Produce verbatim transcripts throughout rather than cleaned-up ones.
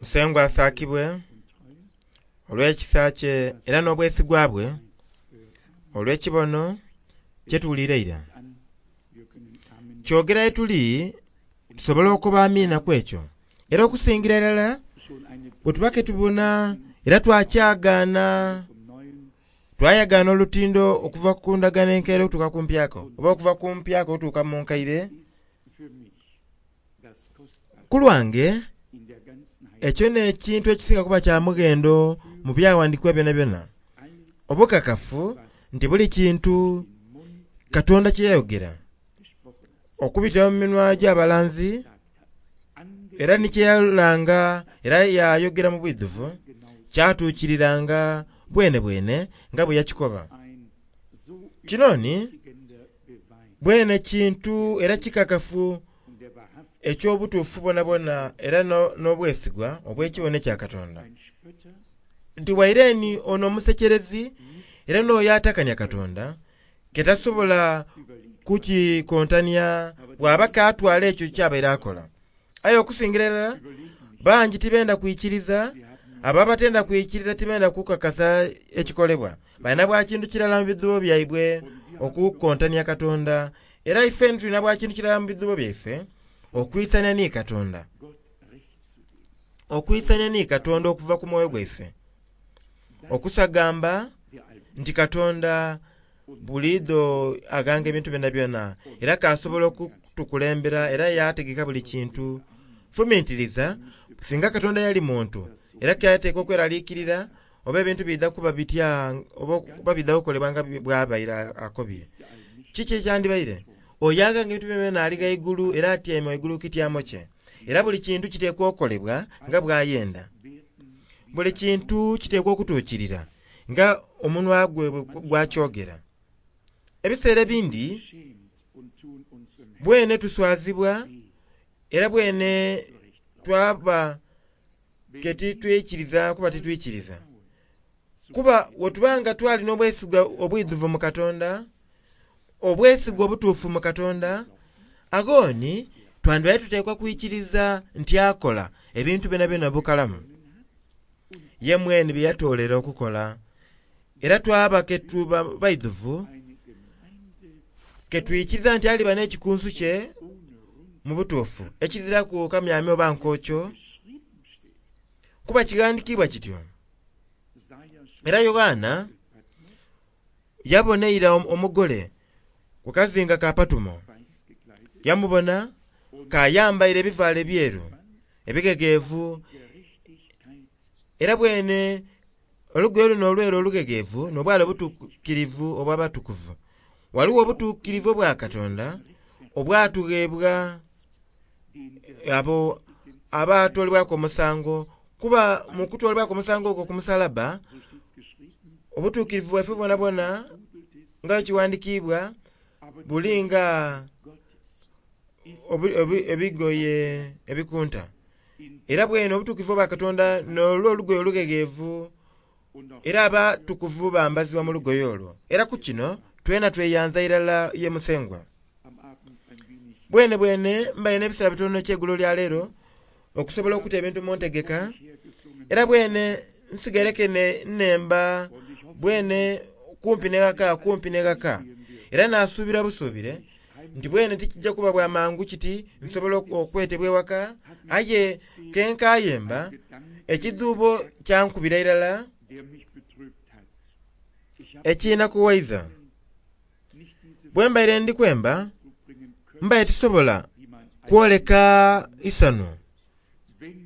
Musengwa asaakibwe olw'ekisa kye era n'obwesigwa bwe olw'ekibono kyetuwulira eira. Kyogera tuli tusobola okuba amiina ku ekyo era okusingira irala bwe tuba ke tubona era twakyagaana twayagaana olutindo okuva ku ndagaano enkaire okutuuka ku mpyaka oba okuva ku mpyaka okutuuka mu nkaire. Ku lwange ekyo n'ekintu ekisinga kuba kya mughendo mu byawandiikibwa byonabyona, obukakafu nti buli kintu Katonda kye yayogera okubitira mu minwa gy'abalanzi era ni kyeyalanga era yayogera mu bwidhuvu kyatuukiriranga bwene bwene nga bwe yakikoba. Kino ni bwene kintu era kikakafu eky'obutuufu bwonabwona era n'obwesigwa obw'ekibono ekya Katonda. Nti waire ono omusekerezi era n'oyo atakania Katonda ke tasobola kukikontania bw'aba katwala ekyo kyabaire akola. Aye okusingira irala bangi tibenda kwikiriza, abo abatenda kwikiriza tibenda kukakasa ekikolebwa. Balina bwa kintu kirala mu bidhubo byaibwe okukontania Katonda era ife tulina bwa kintu kirala mu bidhubo byaife okwisania ni Katonda. Okwisania ni Katonda okuva ku mwoyo gwaife. Okusagamba nti Katonda buliidho aganga ebintu byonabyona era kasobola okutukulembera era yategeka buli kintu. Fumintiriza singa Katonda yali muntu era kyateekwa okweraliikirira oba ebintu bidha kuba bitya oba bidha kukolebwa nga bwabaire akobye. Kiki ekyandibaire? Oyo aganga ebintu byonabyona ali ghaigulu era atyaime ghaigulu ku kityamo kye era buli kintu kiteekwa okukolebwa nga bw'ayenda. Buli kintu kiteekwa okutuukirira nga omunwa gwe gwakyogera. Ebiseera ebindi bwene tuswazibwa era bwene twaba ke titwikiriza kuba titwikiriza. Kuba bwe twalina obwesigwa obwidhuvu mu Katonda, obwesigwa obutuufu mu Katonda, aghoni twandibaire tuteekwa kwikiriza nti akola ebintu byonabyona bukalamu. Ye mwene bye yatoolera okukola era twaba ke tuba baidhuvu ke twikiriza nti aliba n'ekikunsu kye mu butuufu ekiziraku kamyamya oba nkokyo kuba kighandiikibwa kityo. Era Yoanna yabona eira omugole ku kazinga ka Patumo, yamubona kayambaire ebivaalo ebyeru ebighegeevu era bwene olugoye luno olweru olughegeevu n'obwala obutuukirivu obw'abatukuvu. Ghaligho obutuukirivu obwa Katonda obwatugheebwa abo abaatoolebwaku omusango kuba mu kutoolebwaku omusango ogwo ku musalaba obutuukirivu bwaife bwonabwona nga bwe buli nga ebigoye ebikunta. Era bwene obutuukirivu obwa Katonda n'olwo olugoye olughegeevu era abatukuvu bambazibwa mu lugoye olwo. Era ku kino twena tweyanza irala ye Musengwa. Bwene bwene mbaire n'ebiseera bitono eky'eigulo lya leero okusobola okuta ebintu mu ntegeka era bwene nsigaireke nnemba bwene kumpi n'eghaka kumpi n'eghaka era nasuubira busuubire nti bwene tikijja kuba bwa mangu kiti nsobola okwetebwa ewaka aye kenkayemba ekidhuubo kyankubira irala ekinakuwaiza. Bwe mbaire ndi kwemba mbaire tisobola kwoleka isanu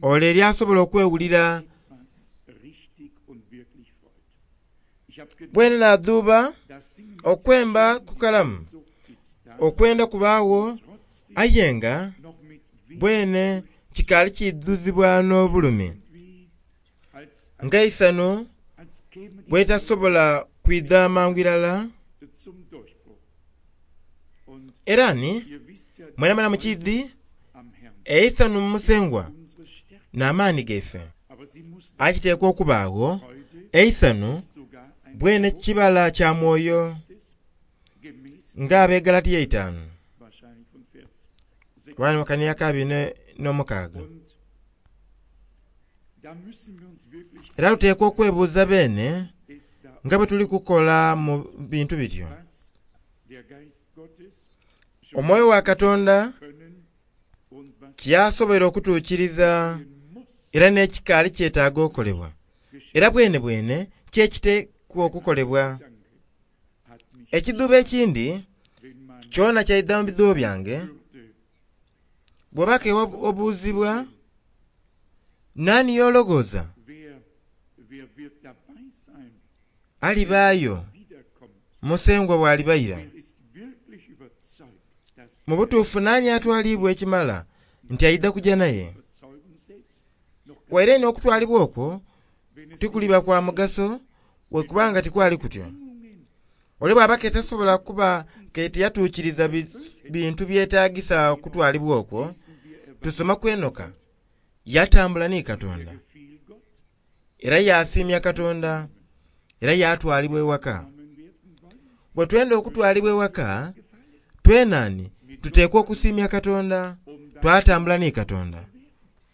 ole eryasobola okwewulira bwene nadhuuba okwemba kukalamu okwenda kubaagho aye nga bwene kikaali kidhuzibwa n'obulumi nga isanu bwetasobola kwidha mangu irala. Era ni mwenamwena mukidhi eisanu mu Musengwa n'amaani gaife. Aye kiteekwa okubaagho eisanu bwene kibala kya mwoyo nga ab'e Galatia eitaanu bali mu kania ka abiri n'omukaaga. Era tuteekwa okwebuuza beene nga bwe tuli kukola mu bintu bityo. Omwoyo wa Katonda kyasoboire okutuukiriza era n'ekikaali kyetaaga okolebwa. Era bwene bwene kyekiteekwa okukolebwa. Ekidhuubo ekindi kyona kyaidha mu bidhuubo byange, bw'oba ke obuuzibwa nani y'olowooza alibaayo Musengwa bw'alibaira? Mu butuufu nani atwalibwa ekimala nti aidha kuja naye? Waire n'okutwalibwa okwo tikuliba kwa mugaso wekubanga tikwali kutyo. Ole bw'aba ke tasobola kuba ke tiyatuukiriza bintu byetaagisa okutwalibwa okwo, tusoma ku Enoka yatambula ni Katonda era yasiimya Katonda era yatwalibwa ewaka. Bwe twenda okutwalibwa ewaka, twenani tuteekwa okusiimya Katonda, twatambula ni Katonda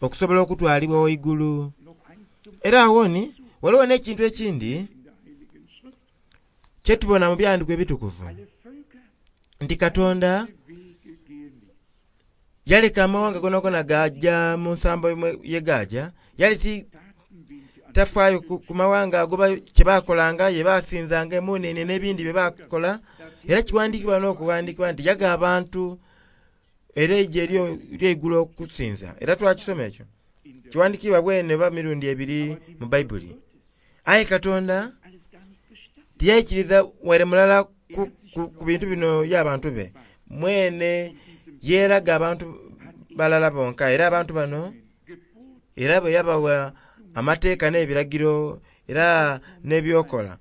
okusobola okutwalibwa waigulu. Era awoni waliwo n'ekintu ekindi kyetubona mu byandiiko ebitukuvu nti Katonda yaleka amawanga gonagona gaja mu nsambo ye gaja, yali ti tafaayo ku mawanga ago kyebakolanga ye basinzanga emunene n'ebindi bye bakola. Era kiwandiikibwa n'okuwandiikibwa nti yaga abantu era eije ery'eigulo okusinza. Era twakisoma ekyo kiwandiikibwa bwene oba mirundi ebiri mu Baibuli. Aye Katonda tiyaikiriza waire mulala ku, ku, ku bintu bino y'abantu be. Mwene yeeraga abantu balala bonka era abantu bano era bwe yabawa amateeka n'ebiragiro era n'ebyokola.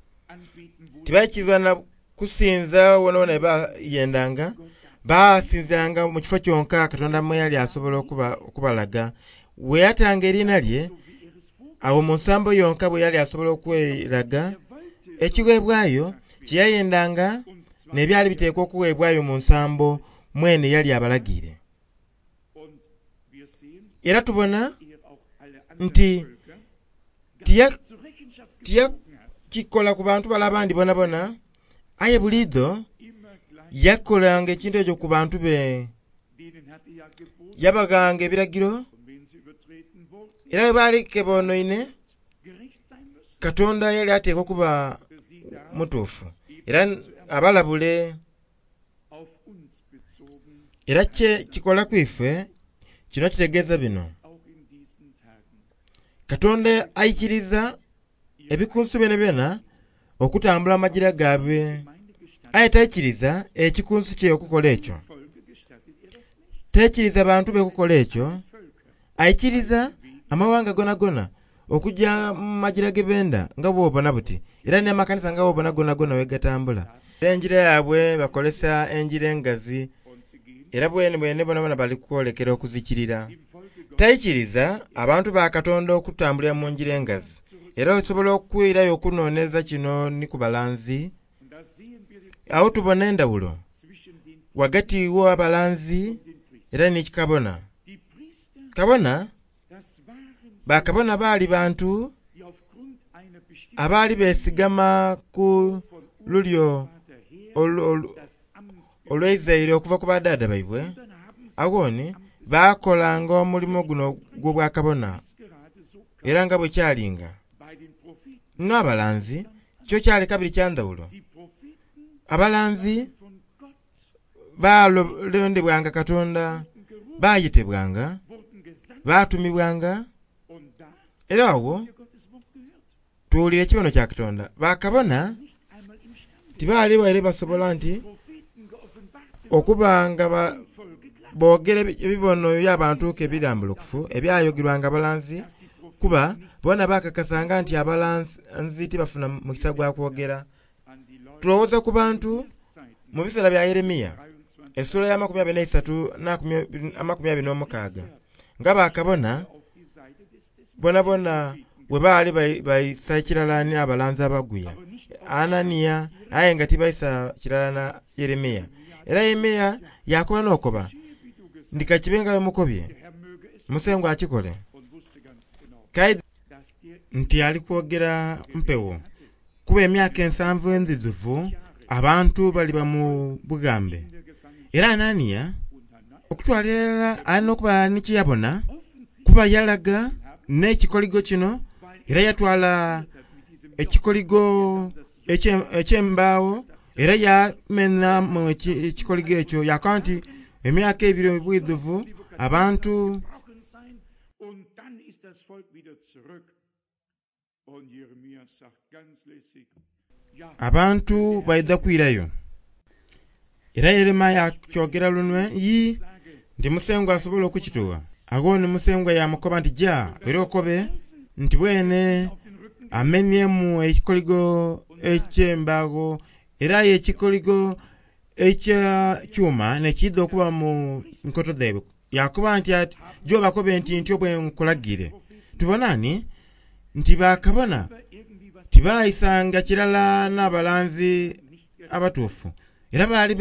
Tibaikiriza na kusinza wonawona bayendanga, basinzanga mu kifo kyonka Katonda mwe yali asobola okuba, okubalaga. We yatanga eriina lye awo mu nsambo yonka bwe yali asobola okweraga, ekiweebwayo kyeyayendanga n'ebyali biteekwa okuweebwayo mu nsambo mwene yali abalagiire. Era tubona nti tiyakikola ku bantu bala abandi bonabona, aye buliidho yakolanga ekintu ekyo ku bantu be. Yabaghanga ebiragiro era bwe baali ke boonoine, Katonda yali ateekwa okuba mutuufu era abalabule. Era kye kikola ku ife kino kitegeeza bino: Katonda aikiriza ebikunsu byonabyona okutambula amajira gaabwe, aye taikiriza ekikunsu kye okukola ekyo. Taikiriza bantu be kukola ekyo, aikiriza amawanga gonagona okujja mu majira ge benda nga bw'obona buti, era n'amakanisa nga bw'obona gonagona we gatambula. Era enjira yaabwe bakolesa enjira engazi, era bwene bwene bonabona bali kwolekera okuzikirira. Taikiriza abantu ba Katonda okutambulira mu njira engazi. Era osobola okwirayo okunooneza kino ni ku balanzi. Awo tubona endawulo wagati w'abalanzi era ni kabona. Kabona, bakabona baali bantu abaali beesigama ku lulyo olw'eizaire okuva ku badhaadha baibwe. Awoni baakolanga omulimo guno gw'obwakabona era nga bwe kyalinga. N'abalanzi kyo kyali kabiri kya ndhawulo. Abalanzi balondebwanga Katonda, baayetebwanga, baatumibwanga, era awo tuwulira ekibono kya Katonda. Bakabona tibaali baire basobola nti okuba nga boogera ebibono by'abantu ke birambulukufu ebyayogerwanga abalanzi, kuba bona bakakasanga nti abalanzi tibafuna mukisa gwa kwogera. Tulowooza ku bantu mu biseera bya Yeremiya essula ya makumi abiri n'eisatu n'amakumi abiri n'omukaaga nga bakabona bonabona bwe baali baisa kirala n'abalanzi abaguya Ananiya, aye nga tibaisa kirala na Yeremiya. Era Yeremiya yakoba n'okoba ndi kakibe nga bwe mukobye, Musengwa akikole. Nti ali kwogera mpewo. Kuba emyaka ensanvu endhiduvu abantu baliba mu bugambe. Era Ananiya okutwalira irala alina okuba ni kyeyabona, kuba yalaga n'ekikoligo kino, era yatwala ekikoligo eky'embaawo, era yamenhamu ekikoligo ekyo, yakoba nti emyaka ebiri obwidhuvu abantu abantu baidha kwirayo. Era Yeremaya akyogera lunwe, yi nti Musengwa asobola okukituwa. Agho ni Musengwa yamukoba nti ja era okobe nti bwene amenyemu ekikoligo eky'embaawo, era aye ekikoligo ekya kyuma nekiidha okuba mu nkoto dhaibwe. Yakoba nti ati jo bakobe nti ntyo bwe nkulagire. Tubona ni nti bakabona tibaayisanga kirala n'abalanzi abatuufu, era baali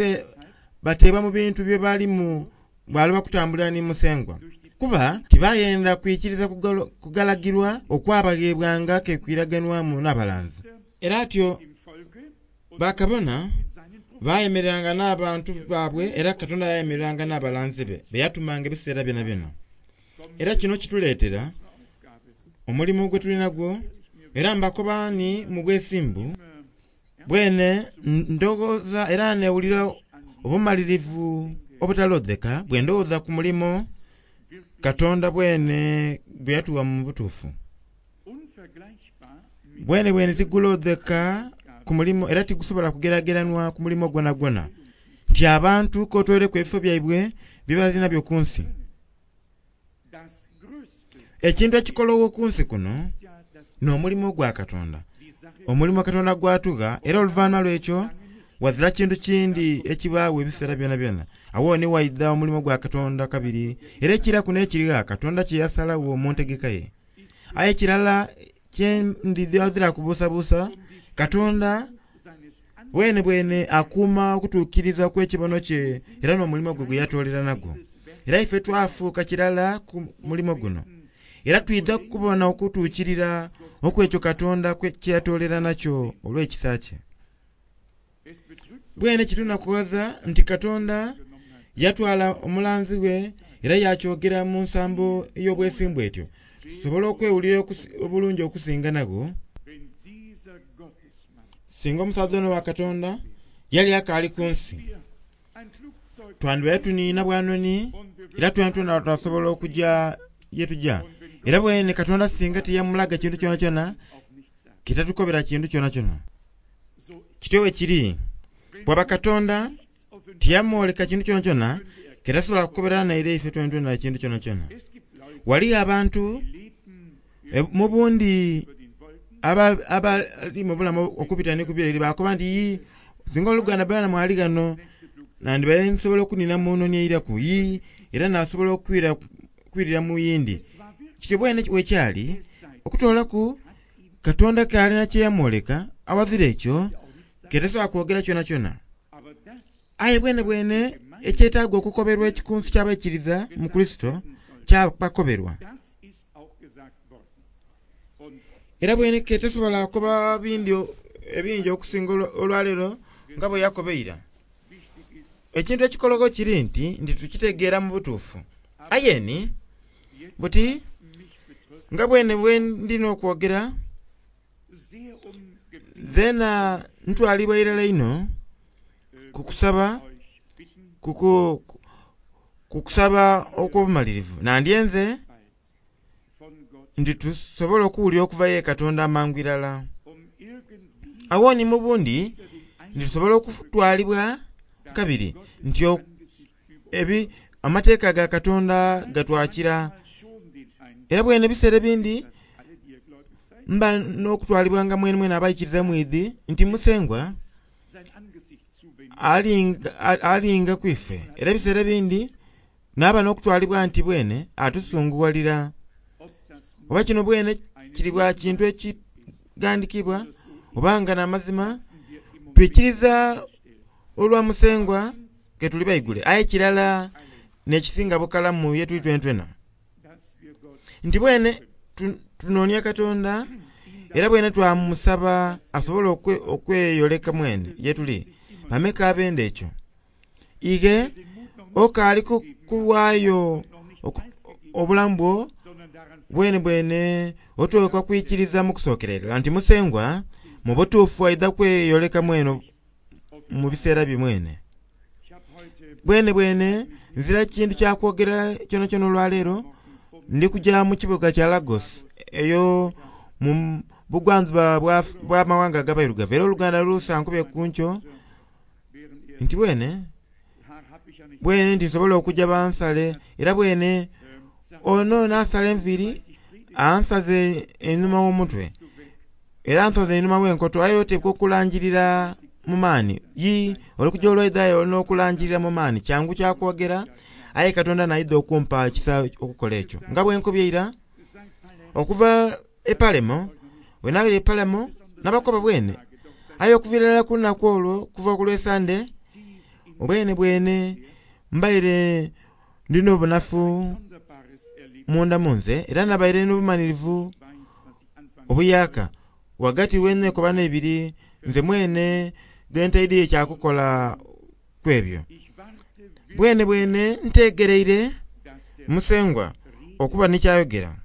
bateebwa mu bintu bye balimu bwali bakutambulira ni Musengwa, kuba tibayenda kwikiriza kugalagirwa okwabaghebwanga kekwiraganwamu n'abalanzi. Era atyo bakabona bayemereranga n'abantu baabwe, era Katonda yayemereranga n'abalanzi be beyatumanga ebiseera byona byona. Era kino kituleetera omulimu gwe tuli nagwo, era mbakoba ni mu bwesimbu bwene ndowooza era newulira obumalirivu obutalodheka bwe ndowooza ku mulimo Katonda bwene gwe yatuwa mu butuufu. Bwene bwene tigulodheka ku mulimo, era tigusobola kugerageranwa ku mulimo gwona gwona, nti abantu kotwoleku ebifo byaibwe bye balina byo ku nsi. Ekintu ekikolowo ku nsi kuno n'omulimo gwa Katonda, omulimo Katonda gwatugha, era oluvannyuma lw'ekyo wazira kintu kindi ekibaawo ebiseera byona byona. Awo ni waidha omulimo gwa Katonda kabiri, era ekiraku n'ekirigha Katonda kye yasalawo mu ntegeka ye. Aye ekirala kyendidhi kubuusabuusa, Katonda bwene bwene akuuma okutuukiriza kw'ekibono kye era n'omulimo gwe gwe yatoolera nagwo. Era ife twafuuka kirala ku mulimo guno, era twidha kubona okutuukirira okw'ekyo Katonda kye yatoolera nakyo olw'ekisa kye. Bwene kitunakuwaza nti Katonda yatwala omulanzi we era yakyogera mu nsambo ey'obwesimbu etyo, tusobola okwewulira obulungi okusinga nagwo. Singa omusaadha ono wa Katonda yali akaali ku nsi, twandibaire tuniina bwanoni, era twena twasobola okujja ye tujja. Era bwene Katonda singa tiyamulaga kintu kyona kyona, kitatukobera kintu kyona kyona. Kityo bwe kiri, bwaba Katonda tiyamwoleka kintu kyona kyona, ketasobola kukobera naire ife twena twena kintu kyona kyona. Waliyo abantu mu bundi abali mu bulamu okubita ni kubira bakoba nti yi singa oluganda bana mwali ghano nandibaire nsobola okunina mu noni eiraku yi, era nasobola okwira kwirira mu yindi. Kityo bwene wekyali okutoolaku Katonda kalina kyeyamwoleka awazira ekyo ketasobola kwogera kyona kyona. Aye bwene bwene ekyetaaga okukoberwa ekikunsu ky'abaikiriza mu Kurisito kyabakoberwa. Era bwene ketasobola kukoba bindi ebingi okusinga olwaleero nga bwe yakobeira. Ekintu ekikologo kiri nti nti tukitegeera mu butuufu. Aye ni buti nga bwene bwe ndina okwogera, zeena ntwalibwa irala ino ku kusaba ku kusaba okw'obumalirivu. Nandyenze nti tusobola okuwulira okuva ye Katonda amangu irala. Awo ni mu bundi nti tusobola okutwalibwa kabiri nti ebi amateeka ga Katonda gatwakira. Era bwene ebiseera ebindi mba n'okutwalibwanga mwene mwene abaikiriza mwidhi nti Musengwa alinga, alinga kwife. Era ebiseera ebindi naaba n'okutwalibwa nti bwene atusunguwalira. Oba kino bwene kiri bwa kintu ekigandikibwa oba nga n'amazima, twikiriza olwa Musengwa ke tuli baigule. Aye kirala n'ekisinga bukalamu ye tuli twena twena nti bwene Tunoonia Katonda era bwene twamusaba asobole okweyoleka mwene ye tuli. Bameka abenda ekyo? Ighe okaali kuwaayo obulamu bwo bwene bwene oteekwa kwikiriza mu kusookerera nti Musengwa mu butuufu aidha kweyoleka mwene mu biseera bye mwene. Bwene bwene nzira kintu kyakwogera kyonakyona olwaleero. Ndi kujja mu kibuga kya Lagos eyo mu bugwanjuba bw'amawanga ag'abairugavu, era oluganda lusankubye ku nkyo nti bwene bwene nti nsobola okujja bansale, era bwene ono n'asala enviiri ansaze einhuma w'omutwe era ansaze einhuma w'enkoto, aye oteekwa okulangirira mu maani. Yi oli kujja olwaidhayo olina okulangirira mu maani, kyangu kyakwogera, aye Katonda n'aidha okumpa ekisa okukola ekyo. Nga bwe nkobye eira okuva e Palemo, bwe nabaire e Palemo nabakoba bwene, aye okuviira irala ku lunaku olwo okuva ku lw'Esande bwene bwene mbaire ndina obunafu munda munze, era nabaire n'obumalirivu obuyaka ghagati w'enekobano ebiri nze mwene dhentaidhiye kyakukola kwebyo. Bwene bwene ntegereire Musengwa okuba ni kyayogera,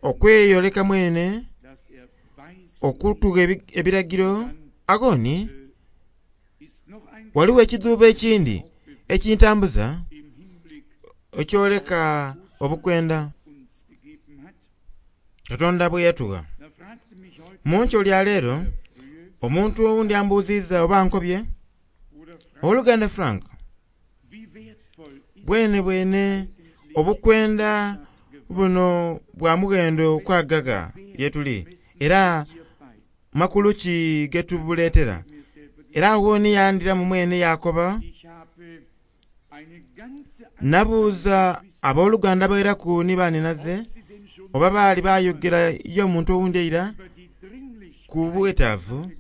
okweyoleka mwene, okutugha ebiragiro. Agoni waliwo ekidhuubo ekindi ekintambuza ekyoleka obukwenda Katonda bwe yatugha. Mu nkyo lya leero omuntu owundi ambuuziiza oba nkobye, Owooluganda Frank, bwene bwene obukwenda buno bwa mughendo kwagaga ye tuli, era makulu ki getubuleetera? Era agho ni yandhiramu mwene yakoba, nabuuza abooluganda abairaku ni baninaze oba baali bayogera y'omuntu owundi eira ku bwetaavu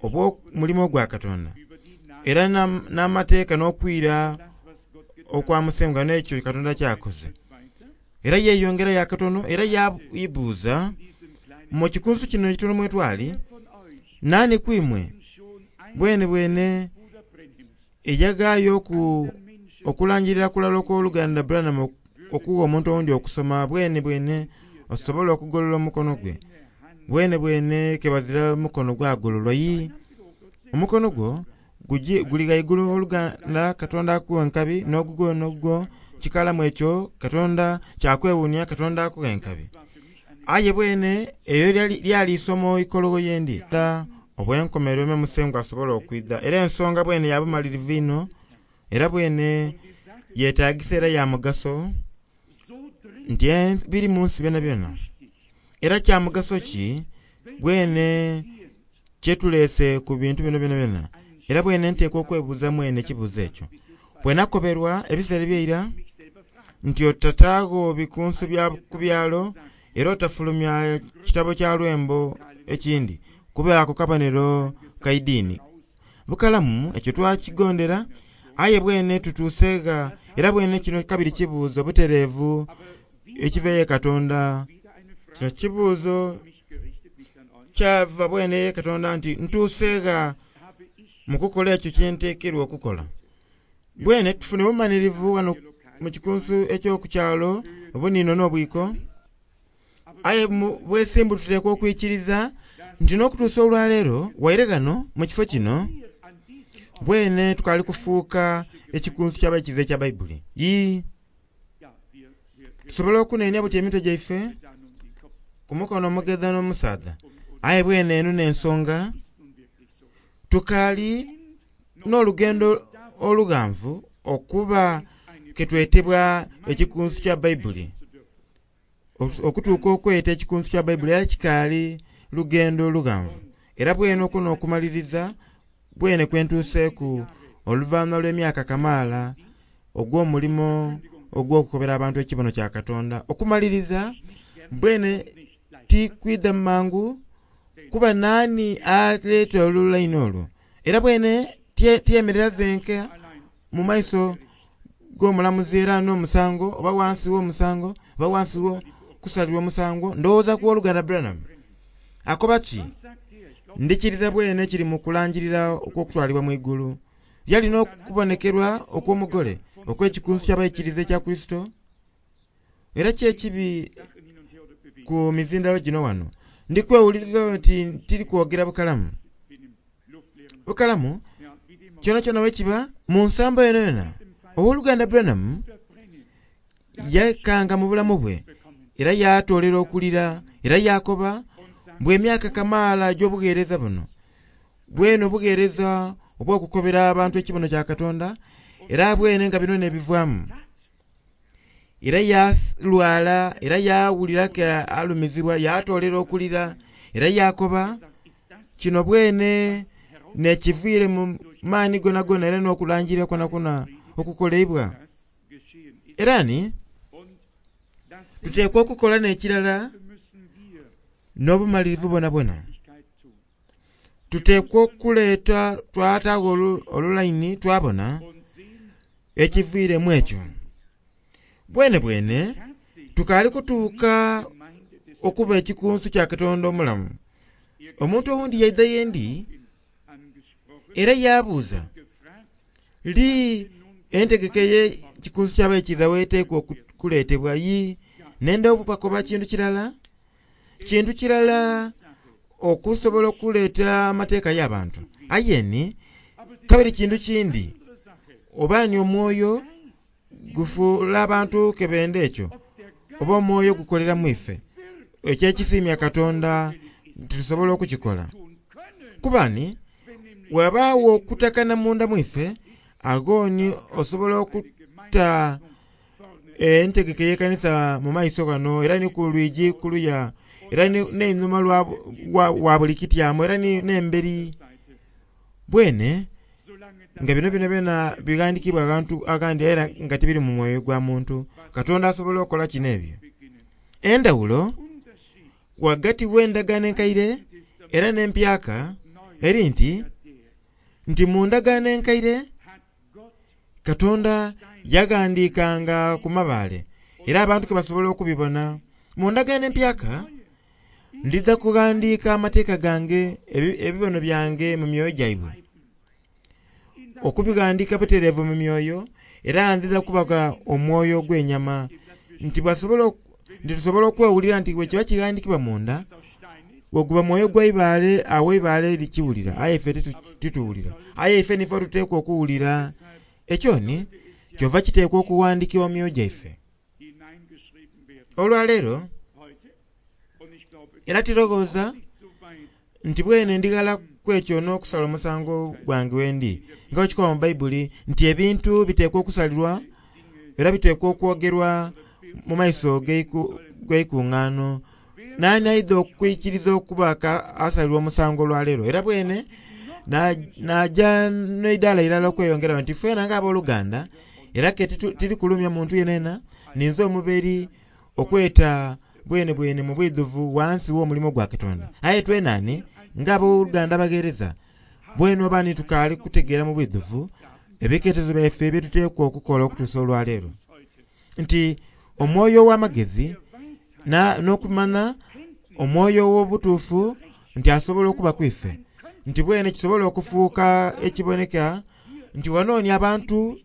obw'omulimo gwa Katonda, era n'amateeka n'okwira okwa Musengwa n'ekyo Katonda kyakoze. Era yeeyongerayo akatono era yayibuuza mu kikunsu kino ekitono mwetwali, naani ku imwe bwene bwene eyaghaayo okulangirira kulala okw'oluganda Branham okugha omuntu owundi okusoma bwene bwene osobola okugolola omukono gwe. Bwene bwene kebazira mukono gwagololwa. Yi omukono gwo guli ghaigulu oluganda Katonda akuwa enkabi, n'ogugwo n'ogugwo kikalamu ekyo Katonda kyakwewuunia, Katonda akuwa enkabi. Aye bwene eyo lyali isomo ikologho yendi obwenkomerero me Musengwa asobola okwidha. Era ensonga bwene ya bumalirivu inho, era bwene yeetagisa era ya mugaso nti biri mu nsi byonabyona. Era kya mugaso ki bwene kyetuleese ku bintu bino byonabyona? Era bwene nteekwa okwebuuza mwene ekibuuzo ekyo. Bwe nakoberwa ebiseera ebyeira nti otataagho bikunsu bya ku byalo era otafulumya kitabo kya lwembo ekindi kuba ako kabonero ka idiini. Bukalamu ekyo twakigondera, aye bwene tutuuseegha era bwene kino kabiri kibuuzo butereevu ekiva ye Katonda. Kino kibuuzo kyava bwene ye Katonda nti ntuuseegha mu kukola ekyo kyenteekerwa okukola. Bwene tufune obumanirivu wano mu kikunsu eky'okukyalo obunino n'obwiko, aye mu bwesimbu tuteekwa okwikiriza nti n'okutuusa olwaleero waire ghano mu kifo kino bwene tukaali kufuuka ekikunsu ky'abaikiriza ekya Baibuli. Yi tusobola okunenia buti emitwe gyaife ku mukono omugedha n'omusaadha, aye bwene eno n'ensonga tukaali n'olugendo olughanvu okuba ketwetebwa ekikunsu kya Baibuli. Okutuuka okweta ekikunsu kya Baibuli era kikaali lugendo lughanvu. Era bwene okuno okumaliriza bwene kwentuuseeku oluvannyuma lw'emyaka kamaala ogw'omulimo ogw'okukobera abantu ekibono kya Katonda. Okumaliriza bwene tikwidha mangu kuba naani aleeta olulaini olwo. Era bwene tiyemerera zenka mu maiso g'omulamuzi era n'omusango oba wansi w'omusango oba wansi kusalirwa omusango ndowooza ku Oluganda Branham akoba ki ndikiriza bwene kiri mu kulangirira okw'okutwalibwa mu igulu yalina okubonekerwa okw'omugole okw'ekikunsu ky'abaikiriza ekya Kristo era kyekibi ku mizindalo gino wano ndikwewuliriza nti tiri kwogera bukalamu bukalamu kyona kyona wekiba mu nsambo yona yona Owoluganda Branham yakanga mu bulamu bwe era yatolera okulira era yakoba bwe emyaka kamaala gy'obuweereza buno bwene obuweereza obw'okukobera abantu ekibono kya Katonda era bwene nga bino nebivaamu era yalwala era yawulira ke alumizibwa yatolera okulira era yakoba kino bwene nekiviire mu maani gona gona era n'okulangirira kwona kwona okukoleibwa era ni tuteekwa okukola n'ekirala n'obumalirivu bwona bwona tuteekwa okuleeta twataawo olulaini twabona ekiviiremu ekyo bwene bwene tukaali kutuuka okuba ekikunsu kya Katonda omulamu omuntu owundi yaidha yendi era yabuuza li entegeka ey'ekikunsu ky'abaikiriza weeteekwa okuleetebwa yi nenda obubakoba kintu kirala kintu kirala okusobola okuleeta amateeka y'abantu ayeni kabiri kintu kindi oba ni omwoyo gufuula abantu kebenda ekyo oba omwoyo gukolera mu ife ekyo ekisiimya Katonda tusobola okukikola kubani wabaawo okutakana munda mu ife agoni osobola okuta entegeka ey'ekanisa mu maiso gano era ni ku lwigi kuluya era n'einhuma wa buli kityamo era n'emberi bwene nga bino byona byona bighandikibwa agantu agandi era nga tibiri mu mwoyo gwa muntu Katonda asobola okukola kino ebyo endawulo wagati w'endagaano enkaire era n'empyaka eri nti nti mu ndagaano enkaire Katonda yaghandiikanga ku mabaale era abantu ke basobola okubibona mu ndagaano empyaka ndidha kughandiika amateeka gange ebibono byange mu myoyo gyaibwe okubighandiika butereevu mu myoyo era ndidha kubaga omwoyo ogw'enyama nti basobola nti tusobola okwewulira nti bwe kiba kighandikibwa munda weguba mwoyo gwa ibaale awo ibaale likiwulira aye ife tituwulira aye ife nife tuteekwa okuwulira ekyo ni kyova kiteekwa okuwandikibwa mu myoyo gyaife olwaleero era tirowooza nti bwene ndighala kwekyo n'okusala omusango gwange wendi nga bwekikoba mu Bayibuli nti ebintu biteekwa okusalirwa era biteekwa okwogerwa mu maiso g'eikuŋŋaano nani aidha okwikiriza okuba asalirwa omusango olwaleero era bwene naja n'eidaala irala okweyongerawo nti fena ng'abooluganda era ke tiri kulumya muntu yenena ninze omuberi okweta bwene bwene mu bwidhuvu wansi w'omulimu gwa Katonda aye twenani ng'abooluganda abagereza bwene oba nitukaali kutegeera mu bwidhuvu ebiketezo byaife byetuteekwa okukola okutuusa olwaleero nti omwoyo ow'amagezi n'okumanya omwoyo ow'obutuufu nti asobola okuba kwife nti bwene kisobola okufuuka ekiboneka nti wanooni abantu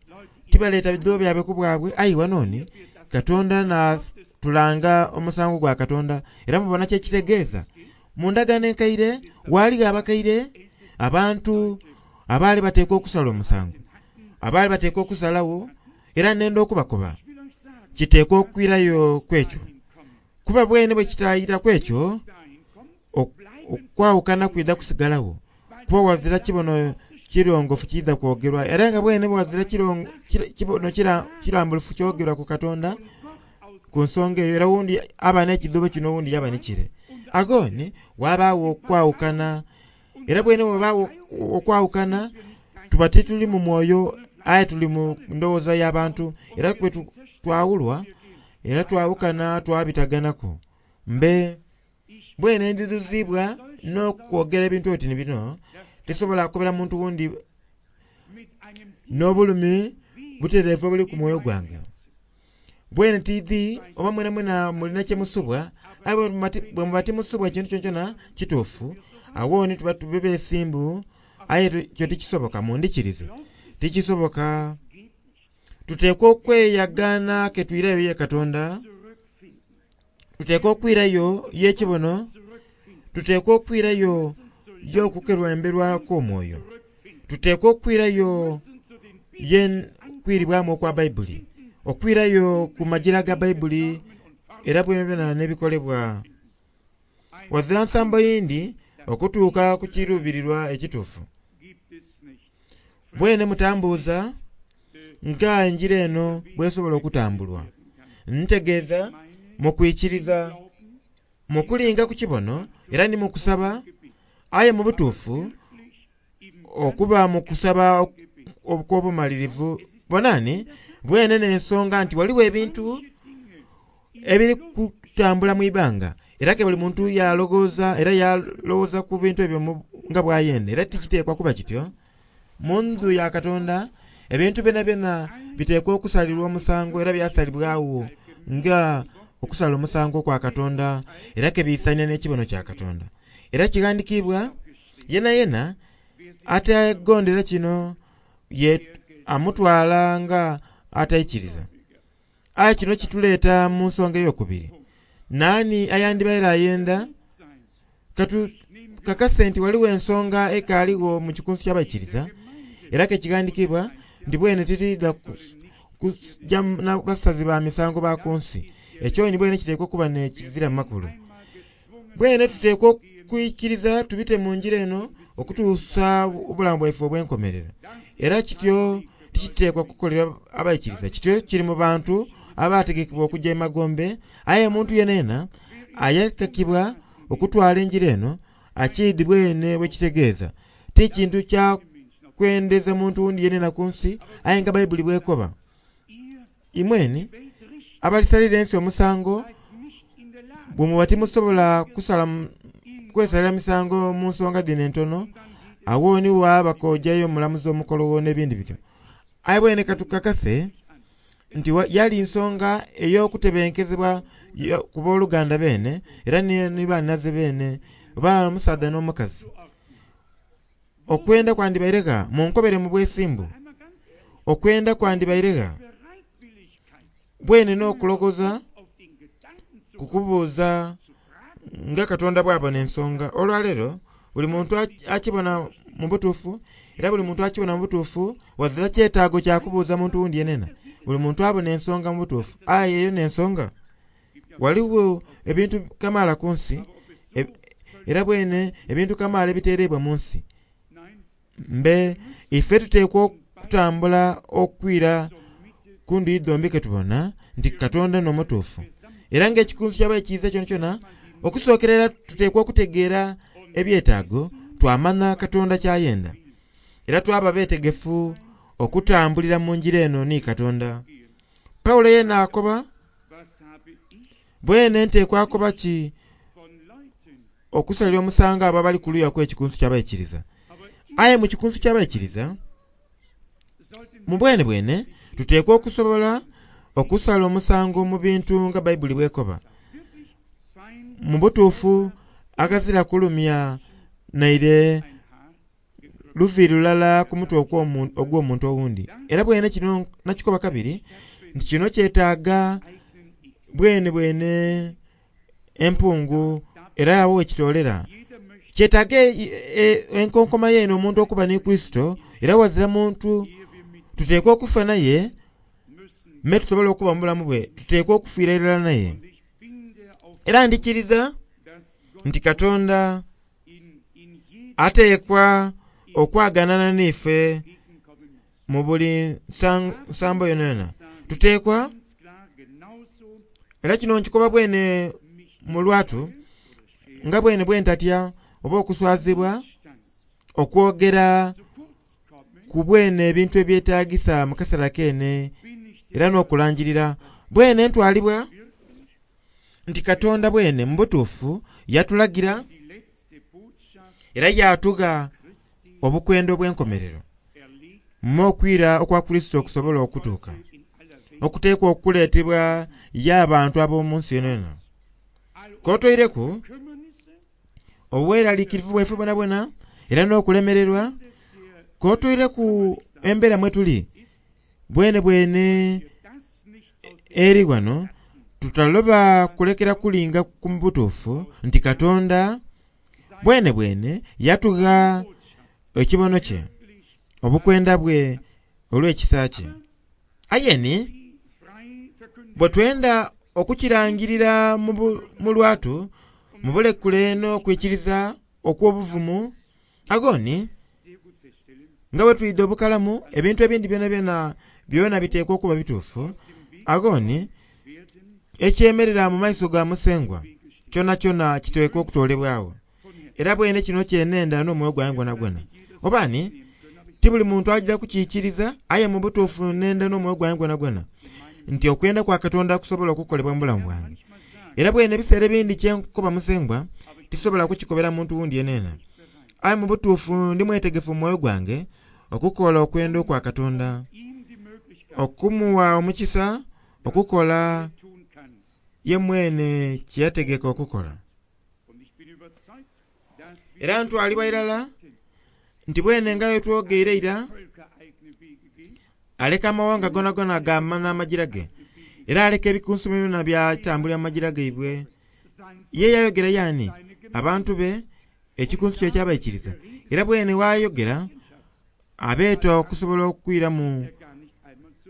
tibaleeta bidhubo byabwe ku bwabwe aye wanooni Katonda natulanga omusango gwa Katonda era mubona kyekitegeeza mu ndagaano enkaire waaliwo abakaire abantu abaali bateekwa okusala omusango abaali bateekwa okusalawo era nenda okubakoba kiteekwa okwirayo kwekyo kuba bwene bwe kitayira kwekyo okwawukana kwidha kusigalawo kuba wazira kibono kirongofu kidha kwogerwa era nga bwene bwazira kibono kirambulufu kyogerwa ku Katonda ku nsonga eyo era wundi aba n'ekidhubo kino wundi yaba nikire agoni wabaawo okwawukana era bwene wabaawo okwawukana tuba tituli mu mwoyo aye tuli mu ndowooza y'abantu era kwe twawulwa era twawukana twabitaganaku mbe bwene ndidhuzibwa n'okwogera ebintu oti ni bino tisobola kukobera muntu wundi n'obulumi butereevu obuli ku mwoyo gwange Bwene tiidhi oba mwena mwena mulina kye musubwa, aye bwe muba timusubwa ekintu kyonkyona kituufu, awo ni tuba tube beesimbu, aye kyo tikisoboka, mundikirize tikisoboka. Tuteekwa okweyagaana ke twirayo ye Katonda, tuteekwa okwirayo y'ekibono, tuteekwa okwirayo y'okukerwemberwa kw'omwoyo, tuteekwa okwirayo ye kwiribwamu okwa Bayibuli, okwirayo ku magira ga Bayibuli era bwena n'ebikolebwa. Wazira nsambo yindi okutuuka ku kiruubirirwa ekituufu. Bwene mutambuuza nga enjira eno bwesobola okutambulwa. Ntegeeza mu kwikiriza, mu kulinga ku kibono era ni mu kusaba, aye mu butuufu okuba mu kusaba okw'obumalirivu. Bonani bwene n'ensonga nti waliwo ebintu ebiri kutambula mu ibanga, era ke buli muntu yalowooza era yalowooza ku bintu ebyo nga bw'ayenda, era tikiteekwa kuba kityo. Mu nju ya Katonda ebintu byona byona biteekwa okusalirwa omusango era byasalibwawo nga okusala omusango kwa Katonda, era ke biisania n'ekibono kya Katonda. Era kighandiikibwa yena yena ategondera kino ye amutwala nga ataikiriza. Aye kino kituleeta mu nsonga ey'okubiri. Naani ayandibaire ayenda katu kakase nti waliwo ensonga ekaaligho mu kikunsu ky'abaikiriza, era ke kighandiikibwa nti bwene titwidha kujja n'abasazi ba misango ba ku nsi. Ekyo ni bwene kiteekwa okuba n'ekizira mu makulu. Bwene tuteekwa okwikiriza tubite mu njira eno okutuusa obulamu bwaife obw'enkomerero. Era kityo tikiteekwa kukolera abaikiriza, kityo kiri mu bantu abategekebwa okujja emagombe, aye omuntu yenena ayetekebwa okutwala enjira eno akiidi bwene bwekitegeeza. Ti kintu kya kwendeza muntu wundi yenena ku nsi, aye nga Bayibuli bwekoba. Imweni abalisalira ensi omusango bwe muba timusobola kusala kwesalira misango mu nsonga dhino entono, awo ni waaba k'ojayo omulamuzi omukolowo n'ebindi bityo. Aye bwene katukakase nti yali nsonga ey'okutebenkezebwa ku booluganda beene era ni bannaze beene oba omusaadha n'omukazi. Okwenda kwandibairegha munkobere mu bwesimbu, okwenda kwandibairegha bwene n'okulogoza kukubuuza nga Katonda bw'abona ensonga. Olwaleero buli muntu akibona mu butuufu, era buli muntu akibona mu butuufu wazira kyetaago kya kubuuza muntu wundi yenena. Buli muntu abona ensonga mu butuufu, aye eyo n'ensonga. Waliwo ebintu kamaala ku nsi, era bwene ebintu kamaala ebiteereibwa mu nsi. Mbe ife tuteekwa okutambula okwira ku ndhuyi dhombi ke tubona nti Katonda n'omutuufu. Era ng'ekikunsu ky'abaikiriza kyonakyona, okusookera era tuteekwa okutegeera ebyetaago, twamanya Katonda ky'ayenda. Era twaba beetegefu okutambulira mu njira eno ni Katonda. Pawulo yena akoba, bwene nteekwa akoba ki okusalira omusango abo abali ku luya kw'ekikunsu ky'abaikiriza. Aye mu kikunsu ky'abaikiriza, mu bwene bwene tuteekwa okusobola okusala omusango mu bintu nga Bayibuli bwekoba. Mu butuufu aghazira kulumya naire luviiri lulala ku mutwe ogw'omuntu owundi. Era bwene kino nakikoba kabiri nti kino kyetaaga bwene bwene empungu era awo wekitoolera. Kyetaaga enkonkoma yeene omuntu okuba ni Kristo, era wazira muntu tuteekwa okufa naye me tusobola okuba mu bulamu bwe, tuteekwa okufiira irala naye. Era ndikiriza nti Katonda ateekwa okwaganana n'ife mu buli nsambo yonayona. Tuteekwa, era kino nkikoba bwene mu lwatu, nga bwene bwe ntatya oba okuswazibwa okwogera ku bwene ebintu ebyetaagisa mu kaseera keene era n'okulangirira. Bwene ntwalibwa nti Katonda bwene mu butuufu yatulagira era yatugha obukwenda obw'enkomerero mu okwira okwa Kristo okusobola okutuuka. okuteekwa okuleetebwa y'abantu ab'omu nsi yonayona. K'otoireku obweraliikirivu bwaife bwonabwona era n'okulemererwa, k'otoireku embeera mwe tuli bwene bwene eri wano, tutaloba kulekera kulinga ku butuufu nti Katonda bwene bwene yatugha ekibono kye, obukwenda bwe olw'ekisa kye. Aye ni bwe twenda okukirangirira mu lwatu, mu bulekule n'okwikiriza okw'obuvumu, agoni nga bwe twidha obukalamu ebintu ebindi byonabyona byona biteekwa okuba bituufu, agoni ekyemerera mu maiso ga Musengwa kyonakyona kiteekwa okutoolebwagho. Era bwene kino kyenenda n'omwoyo gwange gwonagwona. Oba ni ti buli muntu aija kukiikiriza, aye mu butuufu nenda n'omwoyo gwange gwonagwona nti okwenda kwa Katonda kusobola okukolebwa mu bulamu bwange. Era bwene ebiseera ebindi kyenkoba Musengwa tisobola kukikobera muntu wundi yenena. Aye mu butuufu ndi mwetegefu mu mwoyo gwange okukola okwenda okwa Katonda, okumuwa omukisa okukola ye mwene kye yategeka okukola. Era ntwalibwa irala nti bwene nga bwe twogeire eira, aleka amawanga gonagona gamanha amajira ge, era aleka ebikunsu byona byatambulira mu majira gaibwe. Ye yayogera yaani abantu be ekikunsu kye ekyabaikiriza, era bwene wayogera abeeta okusobola okwiramu,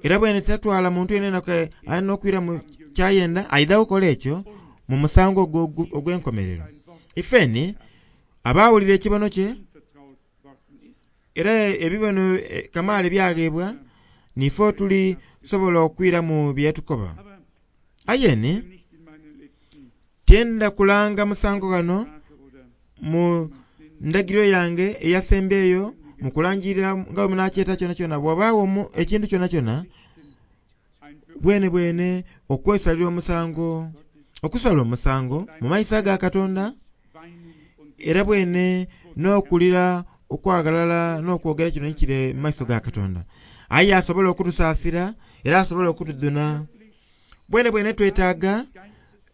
era bwene tatwala muntu yenena alina okwiramu kyayenda, aidha kukola ekyo mu musango ogwo ogw'enkomerero. Ifeni abaawulira ekibono kye, era ebibono kamaala ebyagheebwa, nife tulisobola okwiramu bye yatukoba. Aye ni tyenda kulanga musango ghano mu ndagiriro yange eyasembyeyo mu kulangirira nga bwe munakyeta kyonakyona, bw'obaagho ekintu kyonakyona bwene bwene okwesalira omusango, okusala omusango mu maiso aga Katonda, era bwene n'okulira okwagalala n'okwogera kino ekiri mu maiso ga Katonda. Aye asobola okutusaasira era asobola okutudhuna. Bwene bwene twetaaga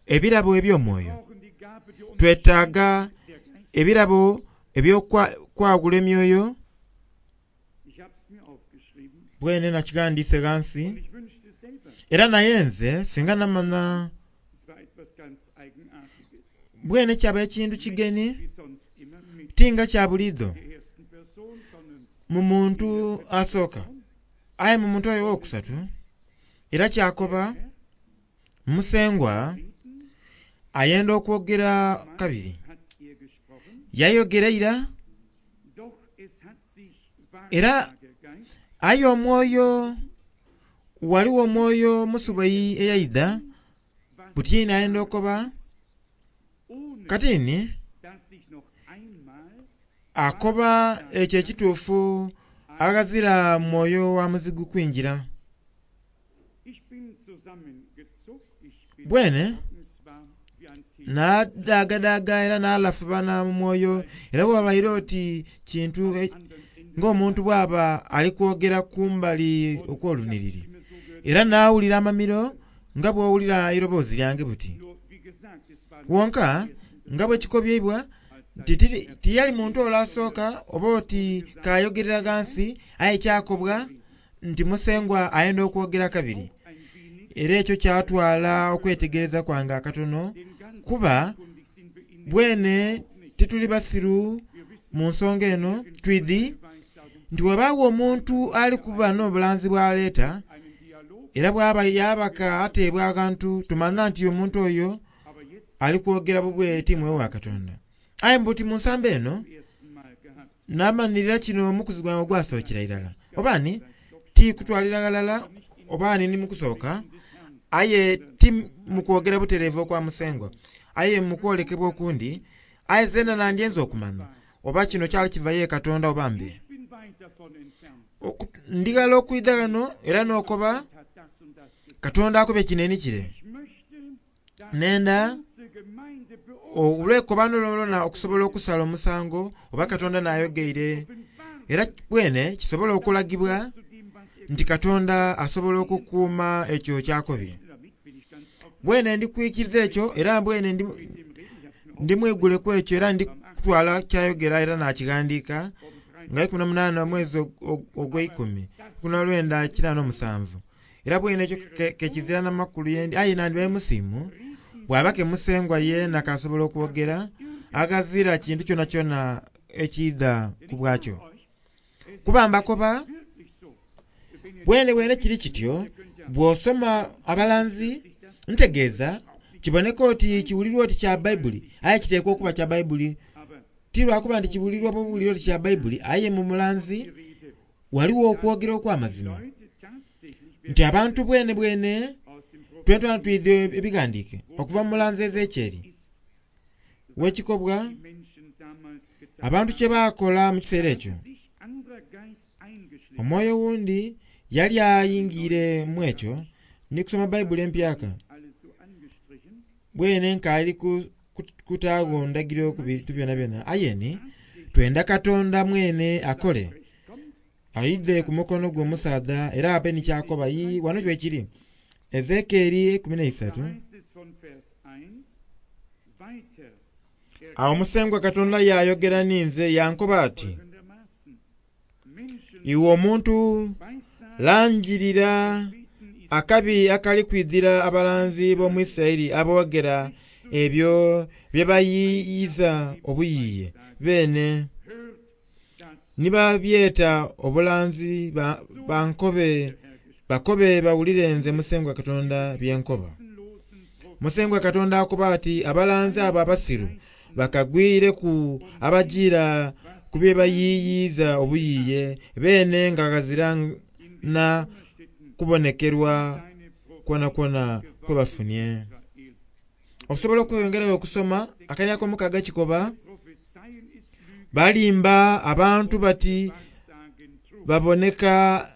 ebirabo eby'omwoyo, twetaaga ebirabo eby'okwagula emyoyo. Bwene nakighandiise ghansi, era naye nze singa namanha bwene kyaba ekintu kigeni ti nga kya buliidho mu muntu asooka, aye mu muntu oyo owokusatu era kyakoba Musengwa ayenda okwogera kabiri. Yayogera ira era aye omwoyo ghaligho omwoyo musubayi eyaidha buti ayenda okoba kati ni akoba ekyo ekituufu aghazira mwoyo wa muzigu kwingira. Bwene naadaagadaaga era naalafubana mu mwoyo, era bw'obaire oti kintu ng'omuntu bw'aba ali kwogera kumbali okw'olunhiriri. Era naawulira amamiro nga bw'owulira eiroboozi lyange buti. Wonka nga bwe kikobyeibwa nti tiyali muntu ole asooka oba oti k'ayogerera ghansi, aye kyakobwa nti Musengwa ayenda okwogera kabiri. Era ekyo kyatwala okwetegereza kwange akatono, kuba bwene tituli basiru mu nsonga eno, twidhi nti bw'obaagho omuntu ali kuba n'obulanzi bw'aleeta, era bw'aba yabaka ateebwa aghantu, tumanha nti omuntu oyo ali kwogera bubwe ti mwoyo wa Katonda. Aye mbuti mu nsambo eno namanhirira kino omukuzi gwange ogwasookera irala. Oba ni ti kutwalira ghalala oba ni mu kusooka, aye ti mu kwogera butereevu okwa Musengwa, aye mu kwolekebwa okundi, aye zeena nandyenze okumanya oba kino kyali kiva ye Katonda oba mbe. Ndi ghala okwidha ghano era n'okoba Katonda akobye kino ni kire. Nenda olw'ekobano lwonalwona okusobola okusala omusango oba Katonda n'ayogeire, era bwene kisobola okulagibwa nti Katonda asobola okukuuma ekyo kyakobye. Bwene ndikwikiriza ekyo era bwene ndi ndimwiguleku ekyo era ndikutwala kyayogera era nakighandiika nga ikumi na munaana omwezi ogw'eikumi ikumi na lwenda kinaana omusanvu. Era bwene ekyo kekizira n'amakulu yendi aye nandibaire musiimu bw'aba ke Musengwa yeena kasobola okwogera aghazira kintu kyona kyona ekiidha ku bwakyo. Kuba mbakoba bwene bwene kiri kityo bw'osoma abalanzi ntegeeza kiboneka oti kiwulirwa oti kya Bayibuli aye kiteekwa okuba kya Bayibuli ti lwakuba nti kiwulirwa buwulirwa oti kya Bayibuli aye mu mulanzi waliwo okwogera okw'amazima nti abantu bwene bwene twentwana twidde ebighandiike okuva mu mulanzi Ezekyeri w'ekikobwa abantu kye baakola mu kiseera ekyo omwoyo wundi yali ayingiire mu ekyo ndi kusoma Bayibuli empyaka bwene nkaali kutaagho ndagiro ku bintu byonabyona aye twenda Katonda mwene akole aidhe ku mukono gwe omusaadha era abe ni kyakoba ii wano kyo ekiri Ezekyeri ekumi n'eisatu. Awo Musengwa Katonda yayogera ninze yankoba ati, iwe omuntu langirira akabi akali kwidhira abalanzi b'omu Isiraeli aboogera ebyo bye bayiiyiza obuyiiye beene ni babyeta obulanzi bankobe bakobe bawulire nze Musengwa Katonda bye nkoba. Musengwa Katonda akoba ati abalanzi abo abasiru bakagwireku abajiira ku bye bayiiyiza obuyiiye beene nga ghazira na kubonekerwa kwonakwona kwe bafunye. Osobola okweyongerayo okusoma akanya ak'omukaaga kikoba balimba abantu bati baboneka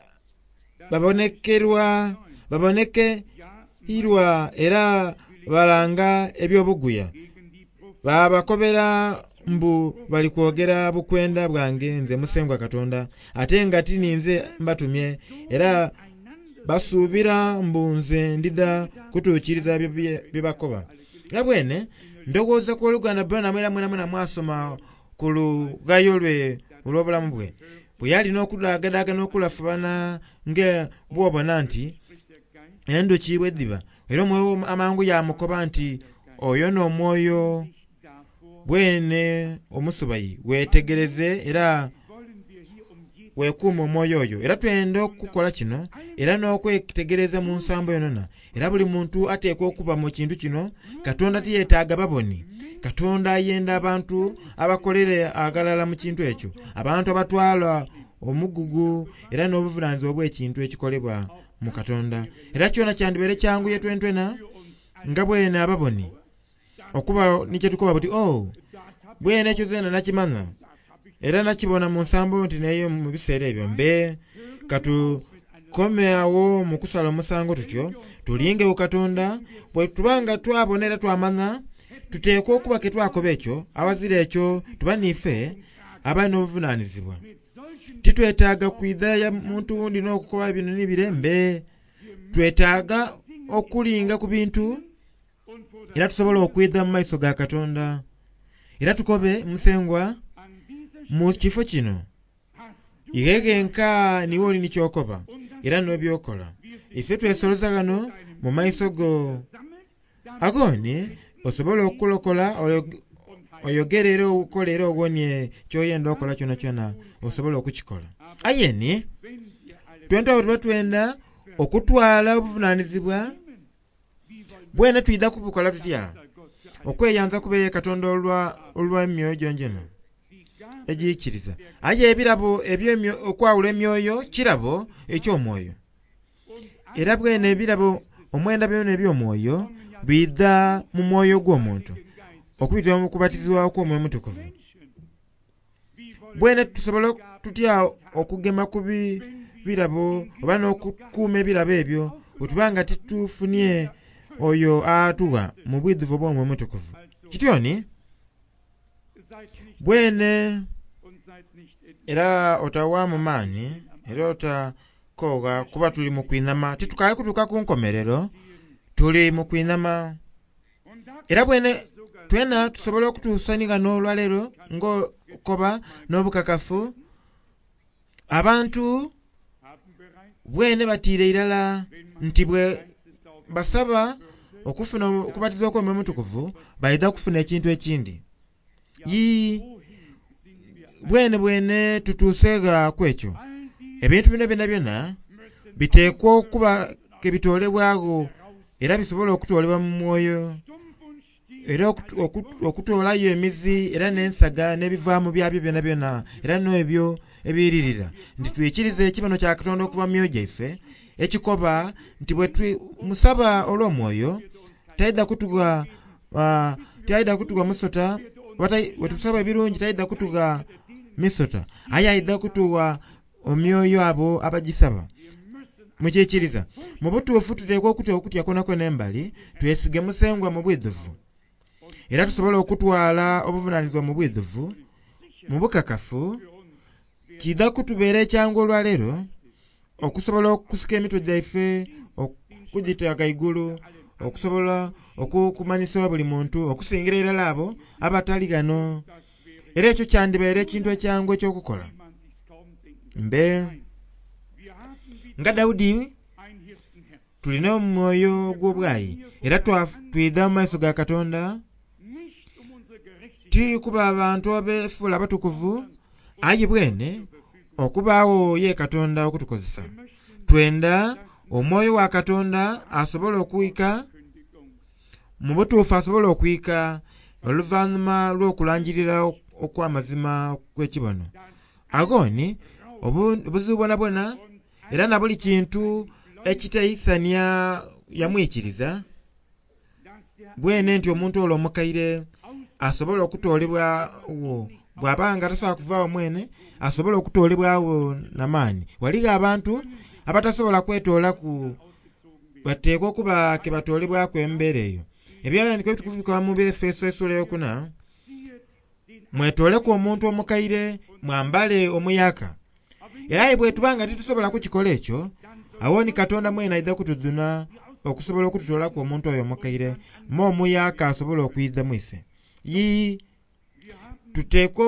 babonekerwa babonekeirwa era balanga eby'obuguya babakobera mbu bali kwogera bukwenda bwange nze Musengwa Katonda ate nga ti ninze mbatumye era basuubira mbu nze ndidha kutuukiriza bye bakoba. Era bwene ndowooza ku oluganda Branham era mwena mwena mwasoma ku lughayo lwe olw'obulamu bwe bwe yali n'okudaagadaaga n'okulafubana nga bw'obona nti endhuki bwe dhiba era omwoyo amangu yamukoba nti oyo n'omwoyo bwene omusubayi weetegereze era weekuume omwoyo oyo. Era twenda okukola kino era n'okwetegereza mu nsambo yonona era buli muntu ateekwa okuba mu kintu kino. Katonda tiyeetaaga baboni. Katonda ayenda abantu abakolere aghalala mu kintu ekyo, abantu abatwala omugugu era n'obuvunaanyizibwa obw'ekintu ekikolebwa mu Katonda. Era kyona kyandibaire kyanguye twentwena nga bwene ababoni okuba ni kyetukoba buti oh bwene ekyo zena nakimanya era nakibona mu nsambo nti neyo mu biseera ebyo mbe katukome awo mu kusala omusango tutyo tulingewo Katonda bwe tubanga twabona era twamanya tuteekwa okuba ke twakoba ekyo awazira ekyo tuba niife abalina obuvunaanyizibwa. Titwetaaga kwidha ya muntu wundi n'okukoba bino ni bire mbe twetaaga okulinga ku bintu era tusobola okwidha mu maiso ga Katonda era tukobe Musengwa mu kifo kino ighegenka niwe oli ni kyokoba era n'ebyokola ife twesoloza ghano mu maiso go agoni osobola okulokola oyogere era okole era owonie kyoyenda okola kyona kyona osobola okukikola. Aye ni twenta tuba twenda okutwala obuvunaanyizibwa bwene twidha kubukola tutya okweyanza kubeye Katonda olwa emyoyo gyongyona egiikiriza aye ebirabo eby'emyoyo okwawula emyoyo kirabo eky'omwoyo era bwene ebirabo omwenda byona eby'omwoyo bidha mu mwoyo gw'omuntu okubitira mu kubatizibwa okw'omwoyo omutukuvu. Bwene tusobola tutya okugema ku birabo oba n'okukuuma ebirabo ebyo bwe nga titufunye oyo atuwa mu bwidhuvu obw'omwoyo omutukuvu. Kityoni bwene era otawaamu maani era otakoba kukoowa kuba tuli mu kwinama titukaali kutuuka ku nkomerero tuli mu kwinama era bwene twena tusobola okutuusanigana olwaleero ng'okoba n'obukakafu abantu bwene batiire irala nti bwe basaba okufuna okubatizibwa kw'Omwoyo Omutukuvu baidha kufuna ekintu ekindi yii bwene bwene tutuuseega ku ekyo ebintu bino byona byona biteekwa okuba ke bitoolebwagho era bisobola okutoolebwa mu mwoyo era okutoolayo emizi era n'ensaga n'ebivaamu byabyo byona byona era n'ebyo ebiyiririra nti twikirize ekibono kya Katonda okuva mu myoyo gyaife ekikoba nti bwe musaba olw'omwoyo taidha kutugha uh, taidha kutugha musota bwe tusaba ebirungi taidha kutugha misota aye aidha kutugha omyoyo abo abagisaba mukiikiriza mu butuufu tuteekwa okutya okutya kwonakwo n'embali twesige Musengwa mu bwidhuvu era tusobola okutwala obuvunaanyizibwa mu bwidhuvu mu bukakafu kidha kutubeera ekyangu olwaleero okusobola okusika emitwe gyaife okugita ghaigulu okusobola okukumanyisa buli muntu okusingira irala abo abatali ghano era ekyo kyandibaire ekintu ekyangu ekyokukola mbe nga Daudi tulina omwoyo gw'obwayi era twidha mu maiso ga Katonda tiri kuba abantu abeefuula abatukuvu aye bwene okubaawo ye Katonda okutukozesa twenda omwoyo wa Katonda asobola okwika mu butuufu asobola okwika oluvannyuma lw'okulangirira okw'amazima kw'ekibono agoni obuzibu bwonabwona era na buli kintu ekitaisania yamwikiriza bwene nti omuntu olwo omukaire asobola okutoolebwawo bw'aba nga tasobola kuvaawo mwene asobola okutoolebwawo n'amaani waligho abantu abatasobola kwetoolaku bateekwa okuba ke batoolebwaku embeera eyo ebyawandiikibwa ebitukuvu bikoba mu Befeso essuula eyokuna mwetooleku omuntu omukaire mwambale omuyaka era aye bwe tuba nga titusobola kukikola ekyo awo ni Katonda mwene aidha kutuduna okusobola okututoolaku omuntu oyo omukaire ma omuyaka asobola okwidha mwife yii tuteekwa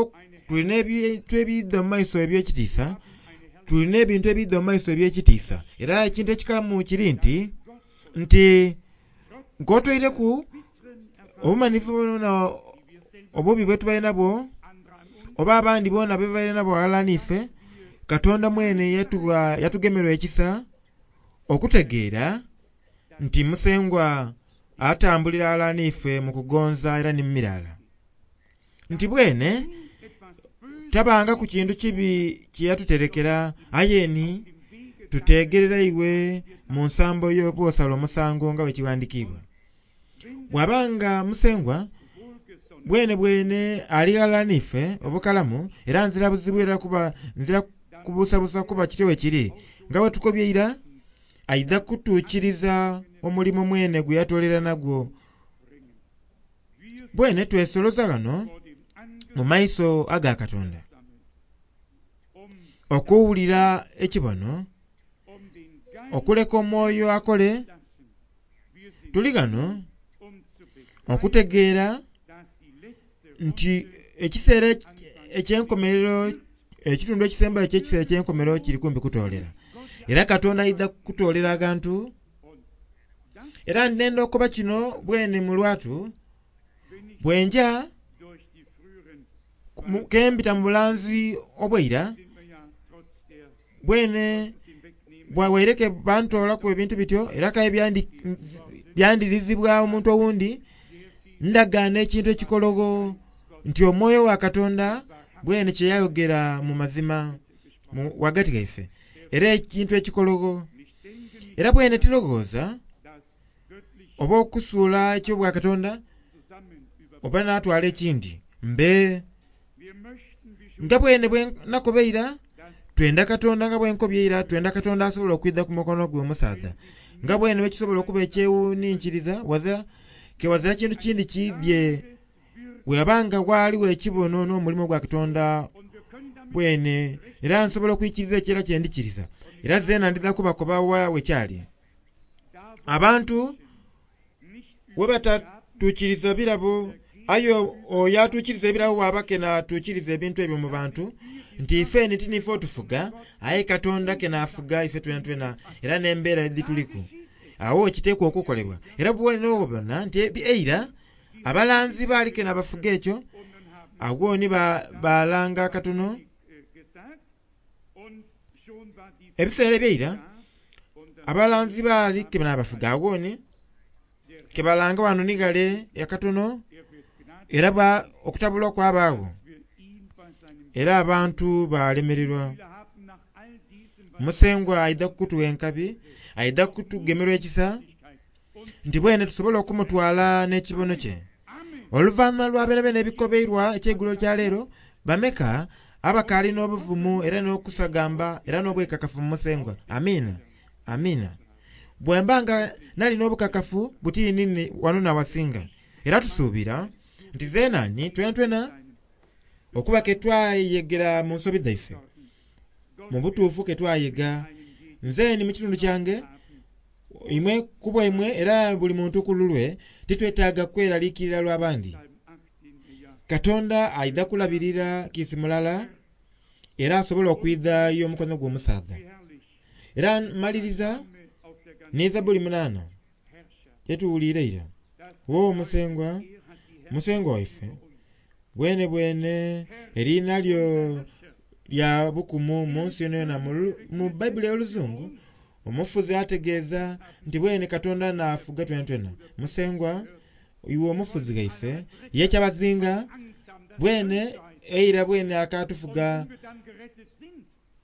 tulina ebintu ebiidha mu maiso eby'ekitiisa tulina ebintu ebiidha mu maiso eby'ekitiisa era ekintu ekikalamu kiri nti nti nk'otweireku obumanifu bwona obubi bwe tubaire nabwo oba abandi boona be babaire nabwo ghalala n'ife Katonda mwene yatugemerwa ekisa okutegeera nti Musengwa atambulira ghalala n'ife mu kugonza era ni mu mirala nti bwene tabanga ku kintu kibi kye yatuterekera aye ni tuteegerera iwe mu nsambo y'obwosala omusango nga bwe kiwandiikibwa bw'abanga Musengwa bwene bwene ali ghalala n'ife obukalamu era nzira buzibu era kuba nzira kubuusabuusa kuba kityo bwe kiri nga bwe tukobye ira aidha kutuukiriza omulimu mwene gwe yatoolera nagwo bwene twesoloza ghano mu maiso aga Katonda okuwulira ekibono okuleka omwoyo akole tuli ghano okutegeera nti ekiseera ekyenkomerero ekitundu ekisembayo eky'ekiseera ekyenkomerero kiri kumpi kutoolera era Katonda aidha kutoolera agantu era ndenda okuba kino bwene mu lwatu bwenja kembita mu bulanzi obweira bwene bwawaireke bantoolaku ebintu bityo era kaye byandirizibwa omuntu owundi ndagaana ekintu ekikologo nti omwoyo wa Katonda bwene kye yayogera mu mazima wagati gaife era ekintu ekikologo era bwene tilowooza oba okusuula ekyobwa Katonda oba n'atwala ekindi mbe nga bwene bwe nakobeira twenda Katonda nga bwenkobye ira twenda Katonda asobola okwidha ku mukono gwe omusaadha nga bwene bwekisobola okuba ekyewuninkiriza waza kewazira kintu kindi kidye bwebanga waaliwo ekibono n'omulimu gwa Katonda bwene era nsobola okwikiriza ekyera kyendikiriza Era zeena ndidha kubakoba wa wekyali. Abantu we batatuukiriza birabo, aye oyo atuukiriza ebirabo bw'aba kena atuukiriza ebintu ebyo mu bantu, nti ife ni tiniife otufuga, aye Katonda kena afuga ife twena twena era n'embeera edhituliku. Awo kiteekwa okukolebwa. Era bwene obona nti eira abalanzi baali kena bafuga ekyo, awo ni balanga katono. Ebiseera ebyeira abalanzi baali kena bafuga, awo ni kebalanga wano ni ghale akatono, era okutabulwa kwabaagho era abantu balemererwa. Musengwa aidha kutuwa enkabi, aidha kutugemerwa ekisa nti bwene tusobola okumutwala n'ekibono kye. Oluvannyuma lwa bene bene ebikobeirwa ekyeigulo kya leero, bameka abakaali n'obuvumu era n'okusagamba era n'obwekakafu mu Musengwa. Amiina, amiina. Bwemba nga nali n'obukakafu butiini wano nawasinga. Era tusuubira nti zeenani twena twena okuba ke twayegera mu nsobi dhaife, mu butuufu ke twayega. Nze ni mu kitundu kyange, imwe kubwa imwe era buli muntu ku lulwe, titwetaaga kweraliikirira lw'abandi. Katonda aidha kulabirira kiisi mulala era asobola okwidhayo omukono gw'omusaadha. Era maliriza ni Zabuli munaana gyetuwuliire ira. Wo Musengwa, Musengwa waife, bwene bwene eriina lyo lya bukumu mu nsi yonayona. Mu Bayibuli ey'oluzungu omufuzi ategeeza nti bwene Katonda naafuga twena twena. Musengwa iwe omufuzi ghaife, ye kyabazinga bwene eira bwene akatufuga.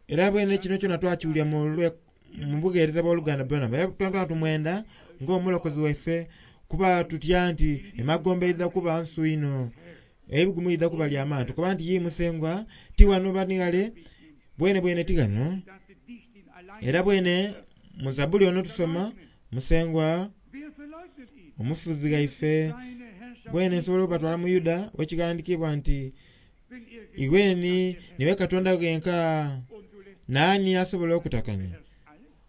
Era bwene kino kyona twakiwulira mu bugheereza bw'oluganda Branham. Era twena tumwenda ng'omulokozi waife, kuba tutya nti emagombe eidha kuba nsu ino, ebigumu idha kuba lya maani. Tukoba nti ye Musengwa ti wano bani ghale, bwene bwene ti ghano. Era bwene mu Zabuli ono tusoma Musengwa omufuzi ghaife, bwene nsobola obatwala mu Yuda wekighandikibwa nti iweni niwe Katonda ghenka, naani asobola okutakanya?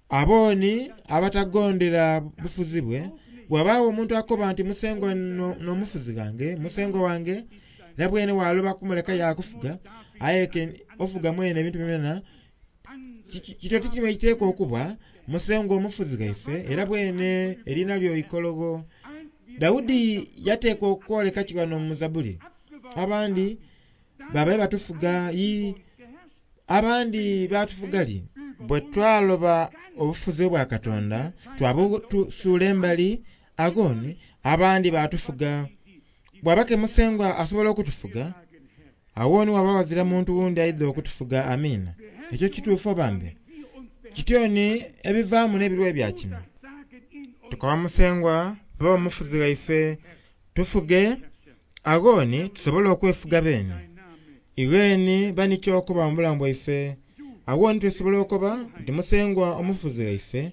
Abooni abatagondera bufuzi bwe, bw'abaawo omuntu akoba nti Musengwa n'omufuzi ghange, Musengwa wange, era bwene waloba kumuleka yakufuga, aye ofuga mwene ebintu byona, kityo tikirimu ekiteekwa okuba Musengwa omufuzi ghaife, era bwene eriina lyo ikologo. Daudi yateekwa okwoleka kiwano mu Zabuli. Abandi babaye batufuga yi, abandi batufuga li. Bwe twaloba obufuzi bwa Katonda, twabusuula embali, agoni abandi batufuga. Bw'aba ke Musengwa asobola okutufuga, awoni waba wazira muntu wundi aidha okutufuga. Amiina. Ekyo kituufu obambe? Kityoni ebivaamu n'ebirwa ebya kino. Tukoba Musengwa ba omufuzi ghaife, tufuge, agoni tusobole okwefuga beene. Iweni bani kyokuba mu bulamu bwaife, awoni tusobola okuba nti Musengwa omufuzi ghaife,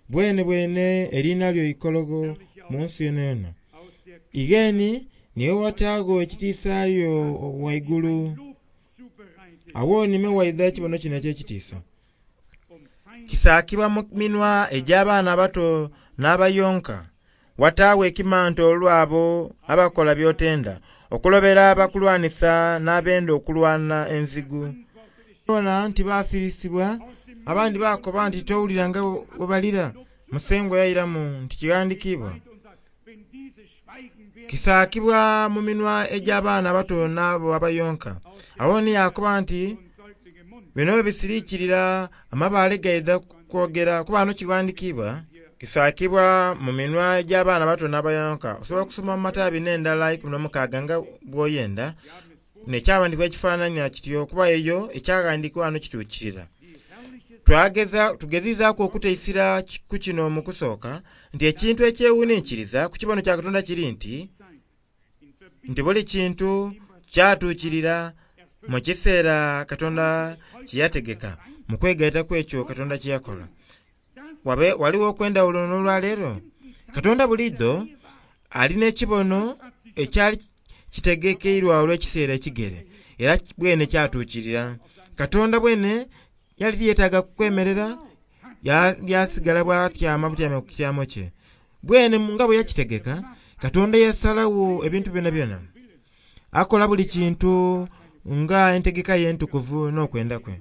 bwene bwene eriina lyo ikologo mu nsi yonayona. Igheni niwe wataago ekitiisa lyo waigulu, awoni me waidha ekibono kino eky'ekitiisa. Kisaakibwa mu minwa egy'abaana abato n'abayonka, wataawo ekimanto olw'abo abakola by'otenda, okulobera abakulwanisa n'abenda okulwana enzigu. Bona nti basirisibwa, abandi bakoba nti towulira nga bwe balira. Musengwa yairamu nti kighandikibwa. Kisaakibwa mu minwa egy'abaana abato n'abo abayonka. Awo ni yakoba nti bino bwe bisiriikirira amabaale gaidha kwogera, kuba wano kighandikibwa. Kisaakibwa mu minwa egy'abaana abato n'abayonka. Osobola okusoma mu Matayo abiri n'endala ikumi n'omukaaga nga bw'oyenda, n'ekyawandikibwa ekifaanania kityo, kuba eyo ekyaghandikibwa wano kituukirira. Twageza tugezizaaku okuteisira ku kino mu kusooka nti ekintu ekyewuninkiriza ku kibono kya Katonda kiri nti nti buli kintu kyatuukirira mu kiseera Katonda kye yategeka, mu kwegaita kw'ekyo Katonda kye yakola. Wabe waliwo okwendawulo n'olwaleero. Katonda buliidho alina ekibono ekyali kitegekeirwa olw'ekiseera ekigere, era bwene kyatuukirira. Katonda bwene yali tiyeetaaga kwemerera, Yasigala bw'atyama butyame ku kityamo kye. Bwene nga bwe yakitegeka, Katonda yasalawo ebintu byona byona. Akola buli kintu nga entegeka ye entukuvu n'okwenda kwe.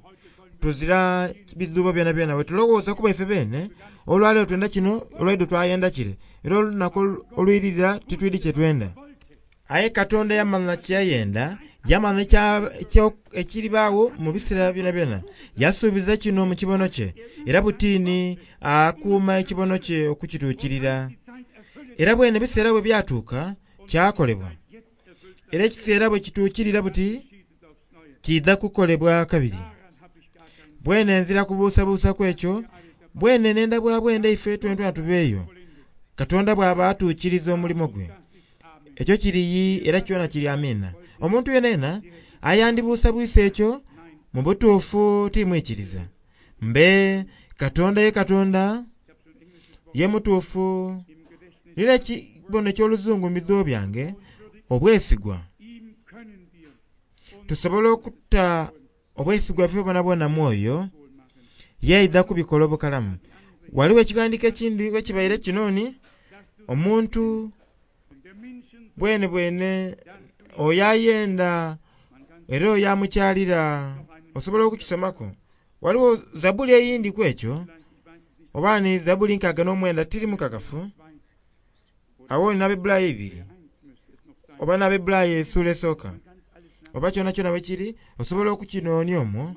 Tuzira bizubo byona byona bwe tulowooza kuba ife beene, olwaleero twenda kino, olwaidho twayenda kire, era olunaku olwirira titwidi kye twenda. Aye Katonda yamanya kye yayenda, yamanya ekiribaawo mu biseera byona byona. Yasuubiza kino mu kibono kye, era butiini akuuma ekibono kye okukituukirira. Era bwene ebiseera bwe byatuuka, kyakolebwa. Era ekiseera bwe kituukirira buti, kiidha kukolebwa kabiri. Bwene nzira kubuusabuusa ekyo, bwene nenda bwa bwenda ife twentwena tubeeyo. Katonda bw'aba atuukiriza omulimo gwe. Ekyo kiriyi era kyona kiri amiina. Omuntu yenena ayandibuusabwisa ekyo mu butuufu timwikiriza. Mbe Katonda ye Katonda ye mutuufu. Nina ekibono eky'oluzungu mu bidhubo byange, obwesigwa. Tusobola okutta obwesigwa bwaife bwonabwona mwoyo, yeidha kubikola obukalamu. Waliwo ekiwandiiko ekindi ekibaire kinoni, omuntu bwene bwene oyo ayenda era oyo amukyalira, osobola okukisomako. Waliwo zabuli eyindi ku ekyo, oba ni zabuli nkaaga n'omwenda tiri mukakafu. Awo n'Abaebbulaayo ibiri, oba n'Abaebbulaayo essuula esooka, oba kyona kyona bwe kiri, osobola okukinoonia omwo.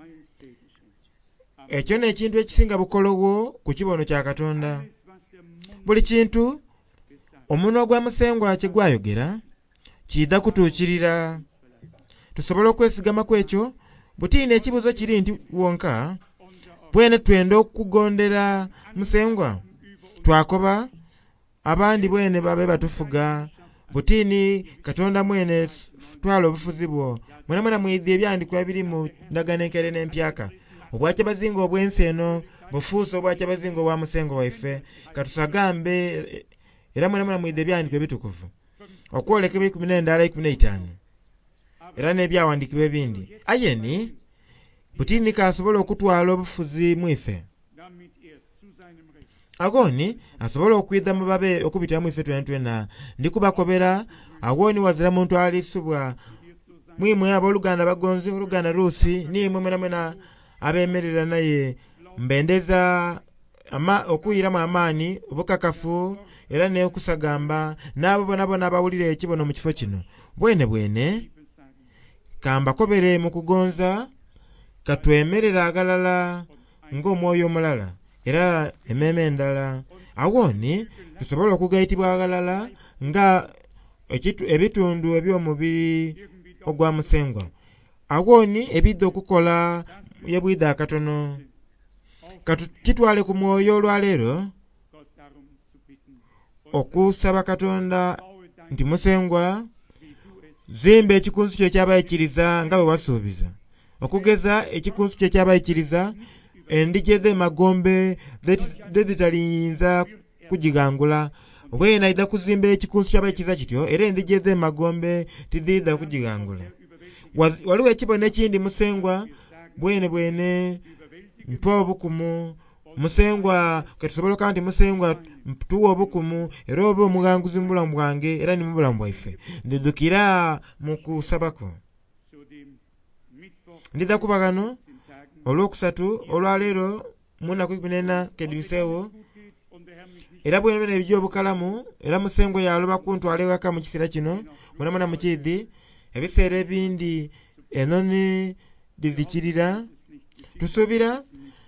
Ekyo n'ekintu ekisinga bukolowo ku kibono kya Katonda. Buli kintu omunwa gwa Musengwa kye gwayogera kiidha kutuukirira. Tusobola okwesigama ku ekyo. Butiini ekibuuzo kiri nti wonka bwene twenda okugondera Musengwa, twakoba abandi bwene babe batufuga. Butiini Katonda mwene twala obufuzi bwo. Mwena mwena mwidhi ebyandikwa ebiri mu ndagaano enkaire n'empyaka. Obwakyabazinga obw'ensi eno bufuuse obwakyabazinga obwa Musengwa waife. Katusagambe era mwena mwena mwidhi ebyandikwa ebitukuvu. Okwolekebwa ikumi n'endala ikumi n'eitaanu. Era n'ebyawandiikibwa ebindi. Aye ni butiini kasobola okutwala obufuzi mwife. Agoni asobola okwidha mu babe okubitira mwife twena twena. Ndikubakobera agoni wazira muntu alisubwa. Mwimwe abooluganda bagonzi, oluganda Ruusi, nimwe mwena mwena abeemerera naye mbendeza ama okuyiramu amaani, obukakafu era n'okusagamba n'abo bonabona abawulira ekibono mu kifo kino. Bwene bwene kambakobere mu kugonza, katwemerera aghalala ng'omwoyo omulala era emmeeme endala. Awoni tusobola okugaitibwa aghalala nga ebitundu eby'omubiri ogwa Musengwa. Awoni ebidha okukola yebwidha akatono. Katukitwale ku mwoyo olwaleero okusaba Katonda nti Musengwa zimba ekikunsu kyo ekyabaikiriza nga bwe wasuubiza. Okugeza ekikunsu kyo ekyabaikiriza endiji edh'emagombe dhedhitaliyinza kugighangula. Bwene aidha kuzimba ekikunsu ky'abaikiriza kityo era endiji edh'emagombe tidhiidha kugighangula. Waliwo ekibono ekindi Musengwa bwene bwene mpa obukumu. Musengwa ketusobola okuba nti Musengwa tuwa obukumu era obe omughanguzi mu bulamu bwange era ni mu bulamu bwaife. Ndidhukira mu kusabako. Ndidha kuba ghano olwokusatu olwaleero mu nnaku ikumi n'ena kedhibiseewo. Era bwene bwene ebijja obukalamu era Musengwa yaloba kuntwala ewaka mu kiseera kino. Mwena mwena mukiidhi ebiseera ebindi enoni dhizikirira. Tusuubira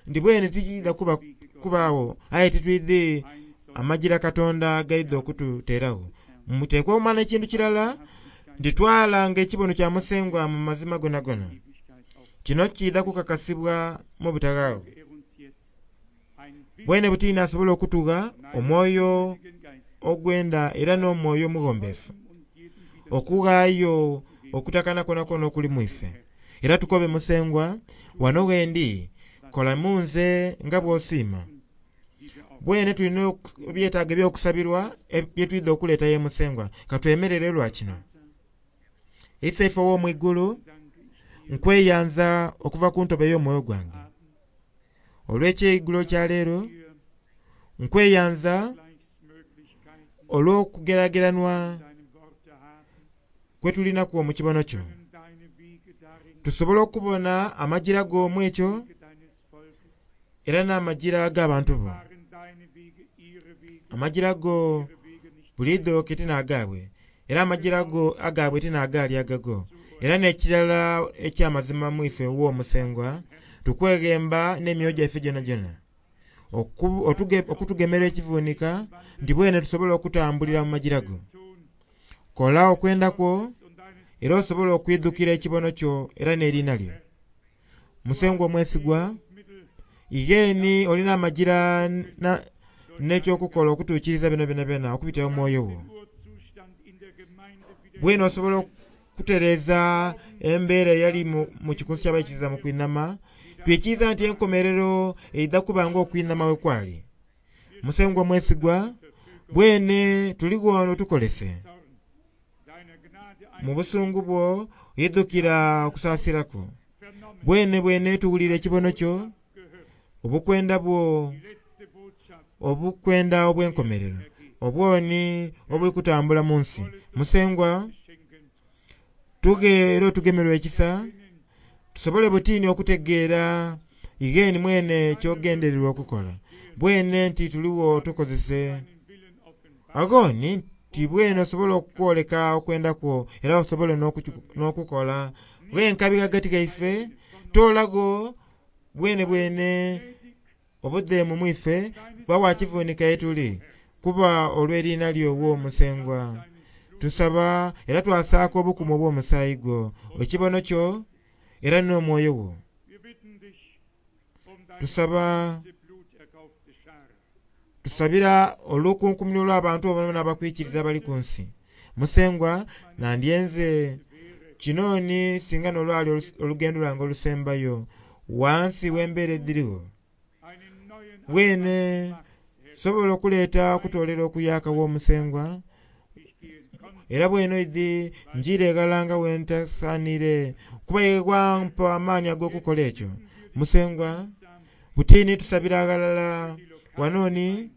nti bwene tikiidha kuba kubaawo, aye titwidhi amagira Katonda gaidha okututeerawo. Muteekwa okumanya ekintu kirala, nti twalanga ekibono kya Musengwa mu mazima gonagona. Kino kiidha kukakasibwa mu butaghaagho. Bwene butiini asobola okutugha omwoyo ogwenda era n'omwoyo omughombefu okughaayo okutakana kwonakwo okuli mwife. Era tukobe Musengwa, wano wendi kola mu nze nga bw'osiima. Bwene tulina ebyetaago eby'okusabirwa bye twidha okuleeta ye Musengwa. Katwemerere lwa kino. Iseife ow'omwigulu, nkweyanza okuva ku ntobo ey'omwoyo gwange Olw'ekyeigulo kya leero nkweyanza Gleichsmöglichkeiten olw'okugerageranwa in deinem Worte haben, kwe tulinaku mu kibono kyo können deine Wege darin tusobole okubona amajira g'omu ekyo Wege deines Volkes, era n'amajira g'abantu bo waren deine Wege ihre Wege, amajira go ihre Wege nicht buliidho ke tinaagaabwe era amajira go agaabwe tinaagaali agago era n'ekirala ekyamazima mu ife w'omusengwa tukweghemba n'emyoyo gyaife gyona gyona Oku- otuge- okutugemera ekivunika nti bwene tusobole okutambulira mu majira go tun kola okwenda kwo und deines era osobole okwidhukira ekibono kyo era n'eriina lyo musengwa omwesigwa Mittel igeeni olina amajira na- n'ekyokukola okutuukiriza bino byona byona okubitira mu mwoyo wo Urzustand in der Gemeinde wieder bwene osobola okutereeza embeera eyali mu, mu kikunsu ky'abaikiriza mu kwinama twikiriza nti enkomerero eidha kuba nga okwinama we kwali musengwa mwesigwa bwene tuligwo tukolese Zorn deiner Gnade mu busungu bwo idhukira okusaasiraku vernommen, bwene bwene tuwulira ekibono kyo gehört, obukwenda bwo die letzte Botschaft obukwenda obw'enkomerero obwoni obuli kutambula mu nsi musengwa schenken, tuge era otugemerwa ekisa tusobole butiini okutegeera igeeni mwene kyogendererwa okukola bwene nti tuliwo tukozese deinen Willen offenbaren, agoni nti bwene osobole okwoleka okwenda kwo era osobole n'okuki- n'okukola bwenkabi ghagati gaife toolago bwene bwene obudheemu mwife bwa wakivunika yetuli kuba olw'eriina lyo w'omusengwa tusaba era twasaaka obukumu obw'omusaayi gwo ekibono kyo era n'omwoyo wo wir bitten dich um deine tusaba Blut erkaufte Schar, tusabira olukunkumuli olw'abantu obona abakwikiriza abali ku nsi musengwa nandyenze kinooni singa n'olwali olus- olugendo lwange olusembayo wansi w'embeera ediriwo einen neuen bwene Anfang machst, Herr. sobola okuleeta okutoolera okuyaka w'omusengwa Ich gehe konsequent era bweno idhi njira eghala nga wentasaanire kuba ye wampa amaani ag'okukola ekyo musengwa butiini tusabira aghalala wanooni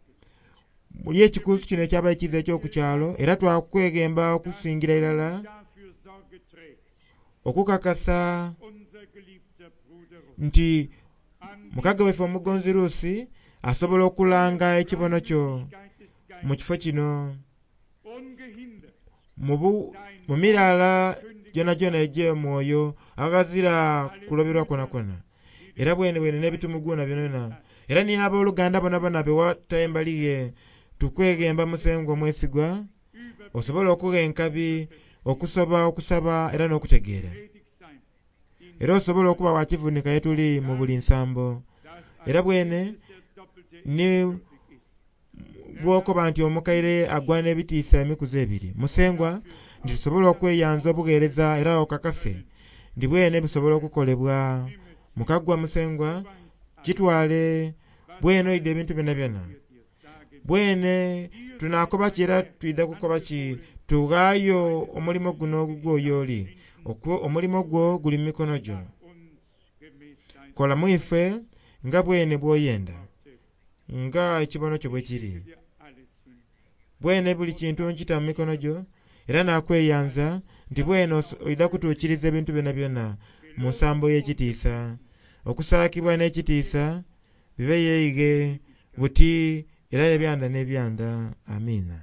muli ekikunsu kino ekyabaikiriza ekyokukyalo era twakweghemba okusingira irala dafür Sorge trägst, okukakasa unser geliebter Bruder Ruth, nti an mukaga waife omugonzi Ruusi asobola okulanga ekibono kyo Gleichheit des mu Geistes kifo kino ungehindert mu bu- mu miraala gyona gyona egy'omwoyo aghazira kuloberwa kwonakwo era bwene bwene n'ebitumuguna byonayona era ni abooluganda bonabona bewata embali ye tukweghemba musengwa omwesigwa osobole okugha enkabi okusoba okusaba era n'okutegeera tätig sein, in era osobole okuba wakivunika yetuli mu buli nsambo das era bwene der doppelte ni würdig ist. bwokoba nti omukaire agwana ebitiisa emikuzi ebiri musengwa nti tusobole okweyanza obugheereza era okakase nti bwene bisobola okukolebwa mukagwa musengwa kitwale bwene oidha ebintu byona byona Wir dir sagen, bwene tunakoba ki era twidha kukoba ki tughaayo omulimo guno ogugwo oyo oli Okwo- omulimo gwo guli mu mikono gyo uns gemäß deinem kola mu ife nga bwene bw'oyenda Worte, nga ekibono kyo bwe kiri dir alles hin. bwene buli kintu nkita mu mikono gyo era nakweyanza nti bwene oso- oidha kutuukiriza ebintu byona byona mu nsambo y'ekitiisa okusaakibwa n'ekitiisa bibe yeige buti era ebyanda n'ebyanda amiina.